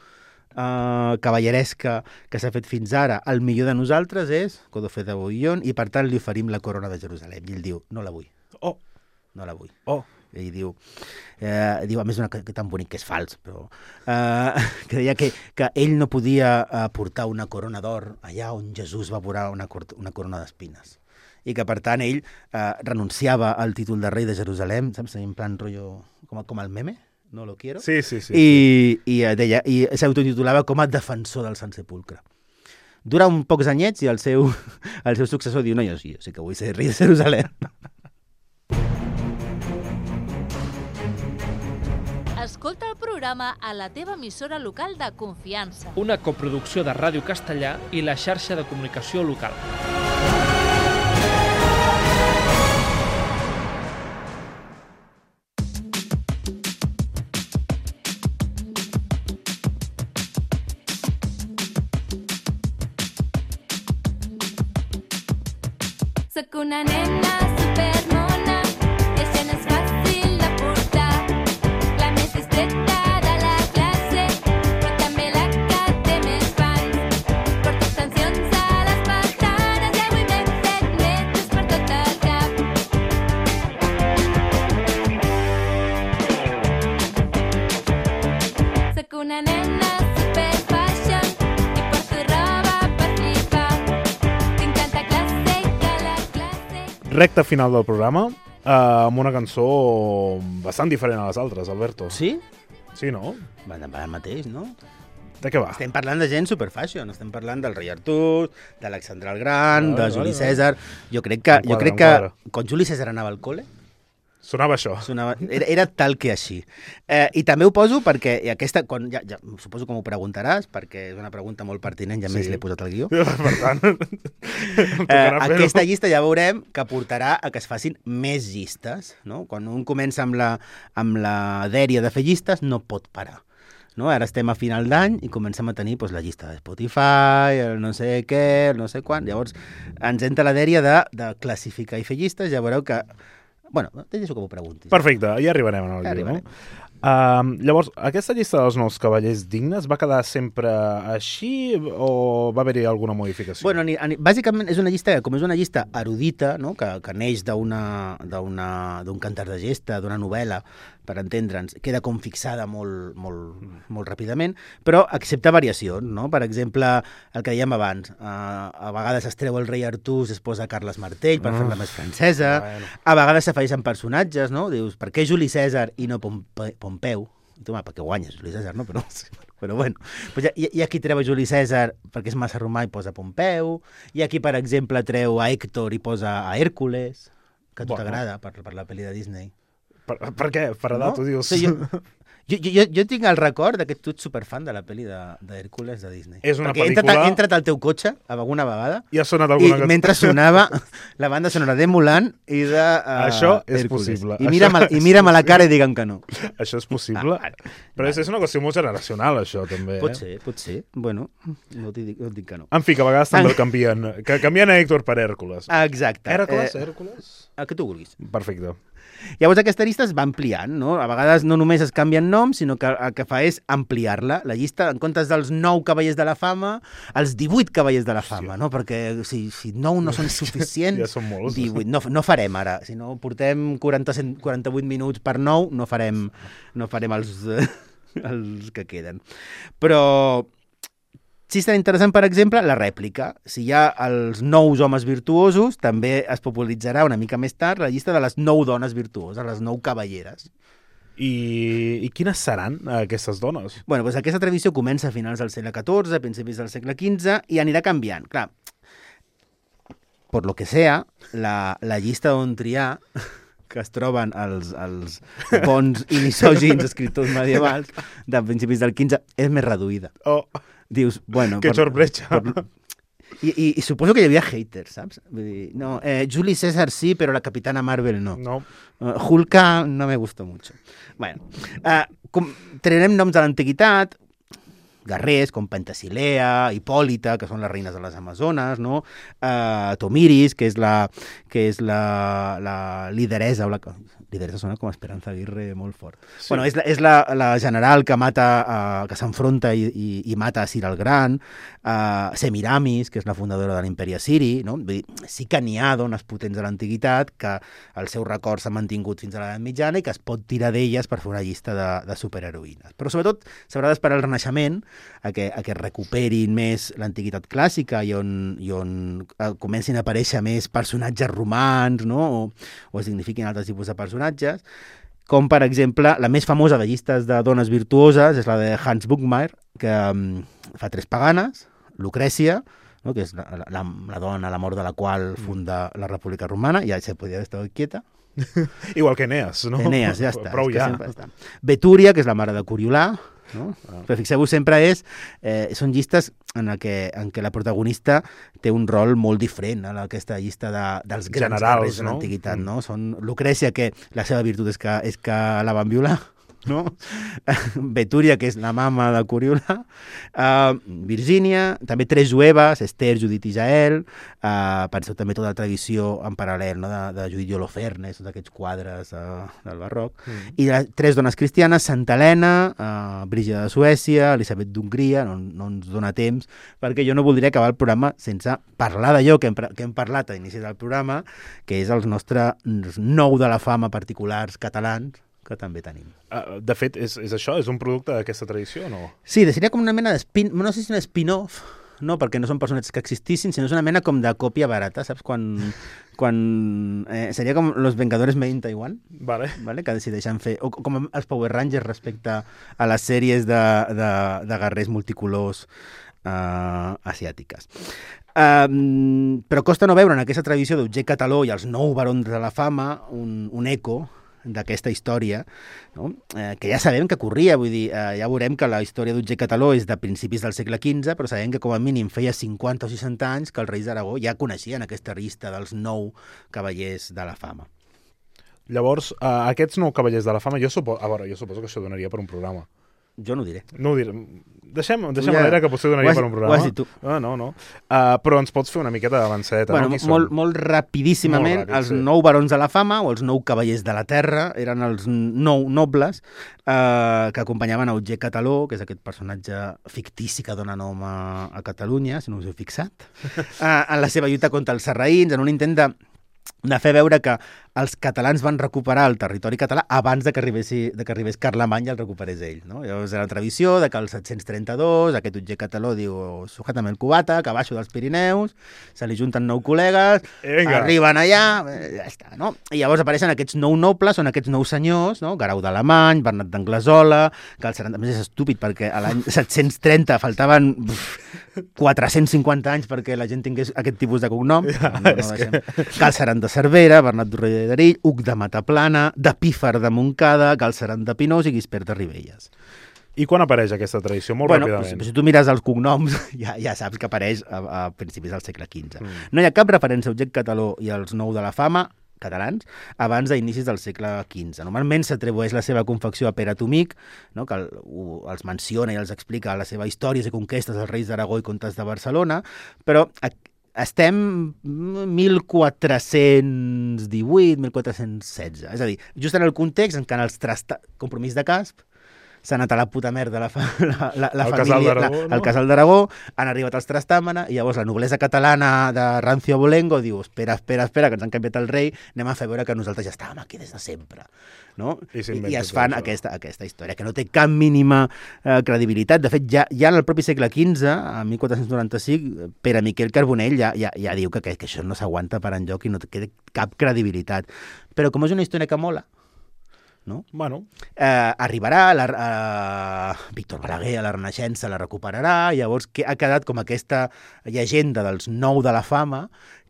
Uh, cavalleresca que s'ha fet fins ara, el millor de nosaltres és Godofré de Bouillon, i per tant li oferim la corona de Jerusalem. I ell diu, no la vull. Oh! No la vull. Oh! I diu, eh, diu a més, una, que, que tan bonic que és fals, però eh, que deia que, que ell no podia eh, portar una corona d'or allà on Jesús va posar una, una corona d'espines. I que, per tant, ell eh, renunciava al títol de rei de Jerusalem, saps? En plan rotllo, com, com el meme. No lo quiero. Sí, sí, sí. I, i, deia, i s'autotitulava com a defensor del Sant Sepulcre. Dura un pocs anyets i el seu, el seu successor diu, no, jo sí, jo sí que vull ser rei de Jerusalem. Escolta el programa a la teva emissora local de confiança. Una coproducció de Ràdio Castellà i la xarxa de comunicació local. Soc una nena supermona i això no és fàcil de portar. La més distreta de la classe, però també la que té més fans. Porto extensions a les pestanes i avui m'he fet metres per tot el cap. Soc una nena super fashion i porto roba per flipar. Tinc tanta classe que la classe... Recta final del programa, eh, amb una cançó bastant diferent a les altres, Alberto. Sí? Sí, no? Va, va el mateix, no? De què va? Estem parlant de gent superfashion, estem parlant del rei Artús, d'Alexandre el Gran, Vale, de Juli vale, Cèsar... Jo crec que, Em jo quadra, crec em que quadra. quan Juli Cèsar anava al col·le, Sonava això. sonava, era, era tal que així. Eh, I també ho poso perquè, i aquesta, quan, ja, ja, suposo que m'ho preguntaràs, perquè és una pregunta molt pertinent i a més Sí. l'he posat al guió. Per tant, em Eh, tocarà fer-ho. aquesta llista ja veurem que portarà a que es facin més llistes. No? Quan un comença amb la, amb la dèria de fer llistes, no pot parar. No? Ara estem a final d'any i comencem a tenir doncs, la llista de Spotify, el no sé què, el no sé quan. Llavors ens entra la dèria de, de classificar i fer llistes. Ja veureu que... Bueno, te deixo que m'ho preguntis. Perfecte, ja arribarem al Ja llibre, arribarem. no? Uh, llavors, aquesta llista dels nous cavallers dignes va quedar sempre així o va haver-hi alguna modificació? Bueno, ni, ni, bàsicament és una llista, com és una llista erudita, no? que, que neix d'una- d'una- d'un cantar de gesta, d'una novel·la, per entendre'ns, queda com fixada molt, molt, molt ràpidament, però accepta variacions, no? Per exemple, el que dèiem abans, uh, a vegades es treu el rei Artús, es posa Carles Martell per Ah. fer-la més francesa, Bueno. a vegades s'afegeixen personatges, no? Dius, per què Juli Cèsar i no Pompe Pompeu? I tu, home, perquè guanyes Juli Cèsar, no? Però, però bueno, pues hi, ha, hi ha qui treu a Juli Cèsar perquè és massa romà i posa Pompeu, hi ha qui, per exemple, treu a Héctor i posa a Hèrcules, que a tu Bueno. t'agrada per, per la pel·li de Disney. Per, per què? Per edat, No? ho dius? Sí, jo, jo, jo, jo tinc el record que tu ets superfan de la pel·li de, de Hèrcules de Disney. És una Perquè he entrat, pel·lícula- he entrat al teu cotxe alguna vegada I ha sonat i alguna cançó? mentre sonava la banda sonora de Mulan i de uh, Això és Hèrcules. possible. I mira'm, Això i és mira'm a la cara i digue'm que no. Això és possible? Ah, Però és, és una qüestió molt generacional, això, també. Pot Eh? ser, pot ser. Bueno, no t'hi dic, no et dic que no. En fi, que a vegades també el canvien. Que canvien a Héctor per Hèrcules. Exacte. Hèrcules? Eh, Hèrcules? el que tu vulguis. Perfecte. Llavors aquesta llista es va ampliant, no? A vegades no només es canvien noms, sinó que el que fa és ampliar-la. La llista, en comptes dels nou cavallers de la fama, els divuit cavallers de la fama, no? Perquè si, si nou no són suficients, Ja són molts. divuit. No, no farem ara. Si no portem quaranta, quaranta-vuit minuts per nou, no farem, no farem els, els que queden. Però sí és tan interessant, per exemple, la rèplica. Si hi ha els nous homes virtuosos, també es popularitzarà una mica més tard la llista de les nou dones virtuoses, les nou cavalleres. I, I quines seran aquestes dones? Bueno, doncs aquesta tradició comença a finals del segle catorze, a principis del segle quinze, i anirà canviant. Clar, por lo que sea, la, la llista d'on triar, que es troben els, els bons i misògins escriptors medievals de principis del quinze, és més reduïda. Oh, Dius, bueno... que sorpresa. per- I, i, I suposo que hi havia haters, saps? Vull dir, no, eh, Juli César sí, però la Capitana Marvel no. No. Uh, Hulka no me gustó mucho. Bueno, uh, com, traurem noms de l'antiguitat, guerrers com Pentesilea, Hipòlita, que són les reines de les Amazones, no? Uh, Tomiris, que és la, que és la, la lideresa, o la, lideresa sona com Esperanza Aguirre molt fort. Sí. Bueno, és la, és la, la general que mata, uh, que s'enfronta i, i, i mata a Cir el Gran, uh, Semiramis, que és la fundadora de l'imperi assiri, no? Vull dir, sí que n'hi ha dones potents de l'antiguitat que el seu record s'ha mantingut fins a l'edat mitjana i que es pot tirar d'elles per fer una llista de, de superheroïnes. Però sobretot s'haurà d'esperar el Renaixement a que, a que recuperin més l'antiguitat clàssica i on, i on eh, comencin a aparèixer més personatges romans, no? o, o es dignifiquin altres tipus de personatges, com per exemple la més famosa de llistes de dones virtuoses és la de Hans Buchmeier, que um, fa tres paganes, Lucrècia, no? que és la, la, la dona, la mort de la qual funda la República Romana, ja se podia haver estat quieta. Igual que Eneas, no? Eneas, ja està. Prou és que ja. sempre està. Betúria, que és la mare de Coriolà, no? Ah. Però fixeu-vos, sempre és, eh, són llistes en què, en què la protagonista té un rol molt diferent a aquesta llista de, dels grans Generals, guerrers de no? l'antiguitat, Mm. no? Són Lucrècia, que la seva virtut és que, és que la van violar, no? Betúria, que és la mama de Coriolà, uh, Virgínia, també tres jueves, Esther, Judit i Jael, uh, penseu també tota la tradició en paral·lel, no? de, de Judit i Holofernes, tots aquests quadres uh, del barroc, mm. i uh, tres dones cristianes, Santa Helena, uh, Brígida de Suècia, Elisabet d'Hongria, no, no ens dona temps, perquè jo no voldria acabar el programa sense parlar d'allò que, hem, que hem parlat a l'inici del programa, que és els nostres nou de la fama particulars catalans, que també tenim. Uh, de fet, és, és això? És un producte d'aquesta tradició o no? Sí, seria com una mena d'espin... No sé si un spin-off, no, perquè no són personatges que existissin, sinó és una mena com de còpia barata, saps? Quan... quan eh, seria com Los Vengadores Made in Taiwan, vale. Vale? Que decideixen fer... O com els Power Rangers respecte a les sèries de, de, de guerrers multicolors uh, asiàtiques. Um, però costa no veure en aquesta tradició d'Otger Cataló i els nou barons de la fama un, un eco d'aquesta història, no? eh, que ja sabem que corria, vull dir, eh, ja veurem que la història d'Otger Cataló és de principis del segle quinze, però sabem que com a mínim feia cinquanta o seixanta anys que els reis d'Aragó ja coneixien aquesta llista dels nou cavallers de la fama. Llavors, eh, aquests nou cavallers de la fama, jo suposo, a veure, jo suposo que això donaria per un programa. Jo no ho diré. No ho diré. Deixem, deixem ja, a l'era que potser donaria has, per un programa. Ho has dit tu. No, no, no. Uh, però ens pots fer una miqueta d'avançadeta, bueno, no? Molt, molt rapidíssimament, molt ràpid, els sí. nou barons de la fama, o els nou cavallers de la terra, eren els nou nobles eh, que acompanyaven a Otger Cataló, que és aquest personatge fictici que dona nom a, a Catalunya, si no us heu fixat, eh, en la seva lluita contra els sarraïns, en un intent de de fer veure que els catalans van recuperar el territori català abans de que arribés, de que arribés Carlemany i el recuperés ell. No? Llavors era la tradició de que el set-cents trenta-dos aquest Otger Cataló diu sujátame el cubata, que baixo dels Pirineus, se li junten nou col·legues, Venga. arriben allà, ja està. No? I llavors apareixen aquests nou nobles, són aquests nou senyors, no? Guerau d'Alemany, Bernat d'Anglesola, que el setanta... A més és estúpid perquè a l'any set-cents trenta faltaven quatre-cents cinquanta anys perquè la gent tingués aquest tipus de cognom. Ja, no, no deixem... que... Galceran de Cervera, Bernat d'Urrell d'Erill, Hug de Mataplana, de Pífar de Montcada, Galceran de Pinós i Guispert de Ribelles. I quan apareix aquesta tradició? Molt bueno, ràpidament. Pues, si tu mires els cognoms, ja, ja saps que apareix a, a principis del segle quinze. Mm. No hi ha cap referència a Otger Cataló i als nou de la fama catalans abans d'inicis del segle quinze. Normalment s'atribueix la seva confecció a Pere Tomic, no? que el, u, els menciona i els explica la seva història i conquestes dels reis d'Aragó i comtes de Barcelona, però a, estem mil quatre-cents divuit, mil quatre-cents setze. És a dir, just en el context en què els trasta... compromís de Casp, s'ha anat a la puta merda la, fa, la, la, la el família, casal la, no? el casal d'Aragó, han arribat els Trastàmana i llavors la noblesa catalana de Rancio Abolengo diu, espera, espera, espera, que ens han canviat el rei, anem a fer veure que nosaltres ja estàvem aquí des de sempre. No? I, I, I es fan aquesta, aquesta història, que no té cap mínima eh, credibilitat. De fet, ja, ja en el propi segle quinze, a mil quatre-cents noranta-cinc, Pere Miquel Carbonell ja, ja, ja diu que, que, que això no s'aguanta per enlloc i no té cap credibilitat. Però com és una història que mola, no? Bueno. Eh, arribarà, la, eh, Víctor Balaguer a la Renaixença la recuperarà, i llavors que ha quedat com aquesta llegenda dels nou de la fama,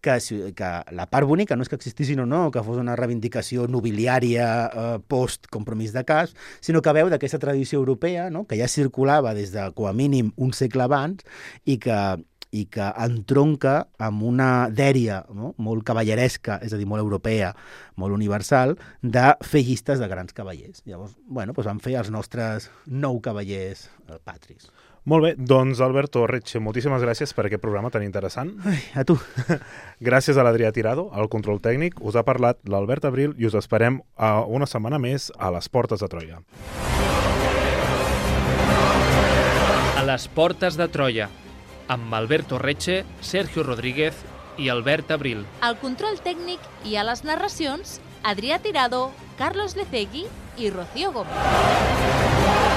que, que la part bonica no és que existissin o no, que fos una reivindicació nobiliària eh, post-compromís de Casp, sinó que veu d'aquesta tradició europea, no? que ja circulava des de, com a mínim, un segle abans, i que i que entronca amb una dèria, no? molt cavalleresca, és a dir, molt europea, molt universal, de fer llistes de grans cavallers. Llavors, bueno, doncs vam fer els nostres nou cavallers eh, patris. Molt bé, doncs Alberto Retxe, moltíssimes gràcies per aquest programa tan interessant. Ai, a tu. Gràcies a l'Adrià Tirado, al control tècnic. Us ha parlat l'Albert Abril i us esperem a una setmana més a les Portes de Troia. A les Portes de Troia, amb Alberto Retxe, Sergio Rodríguez i Albert Abril. Al control tècnic i a les narracions, Adrià Tirado, Carlos Lecegui i Rocío Gómez.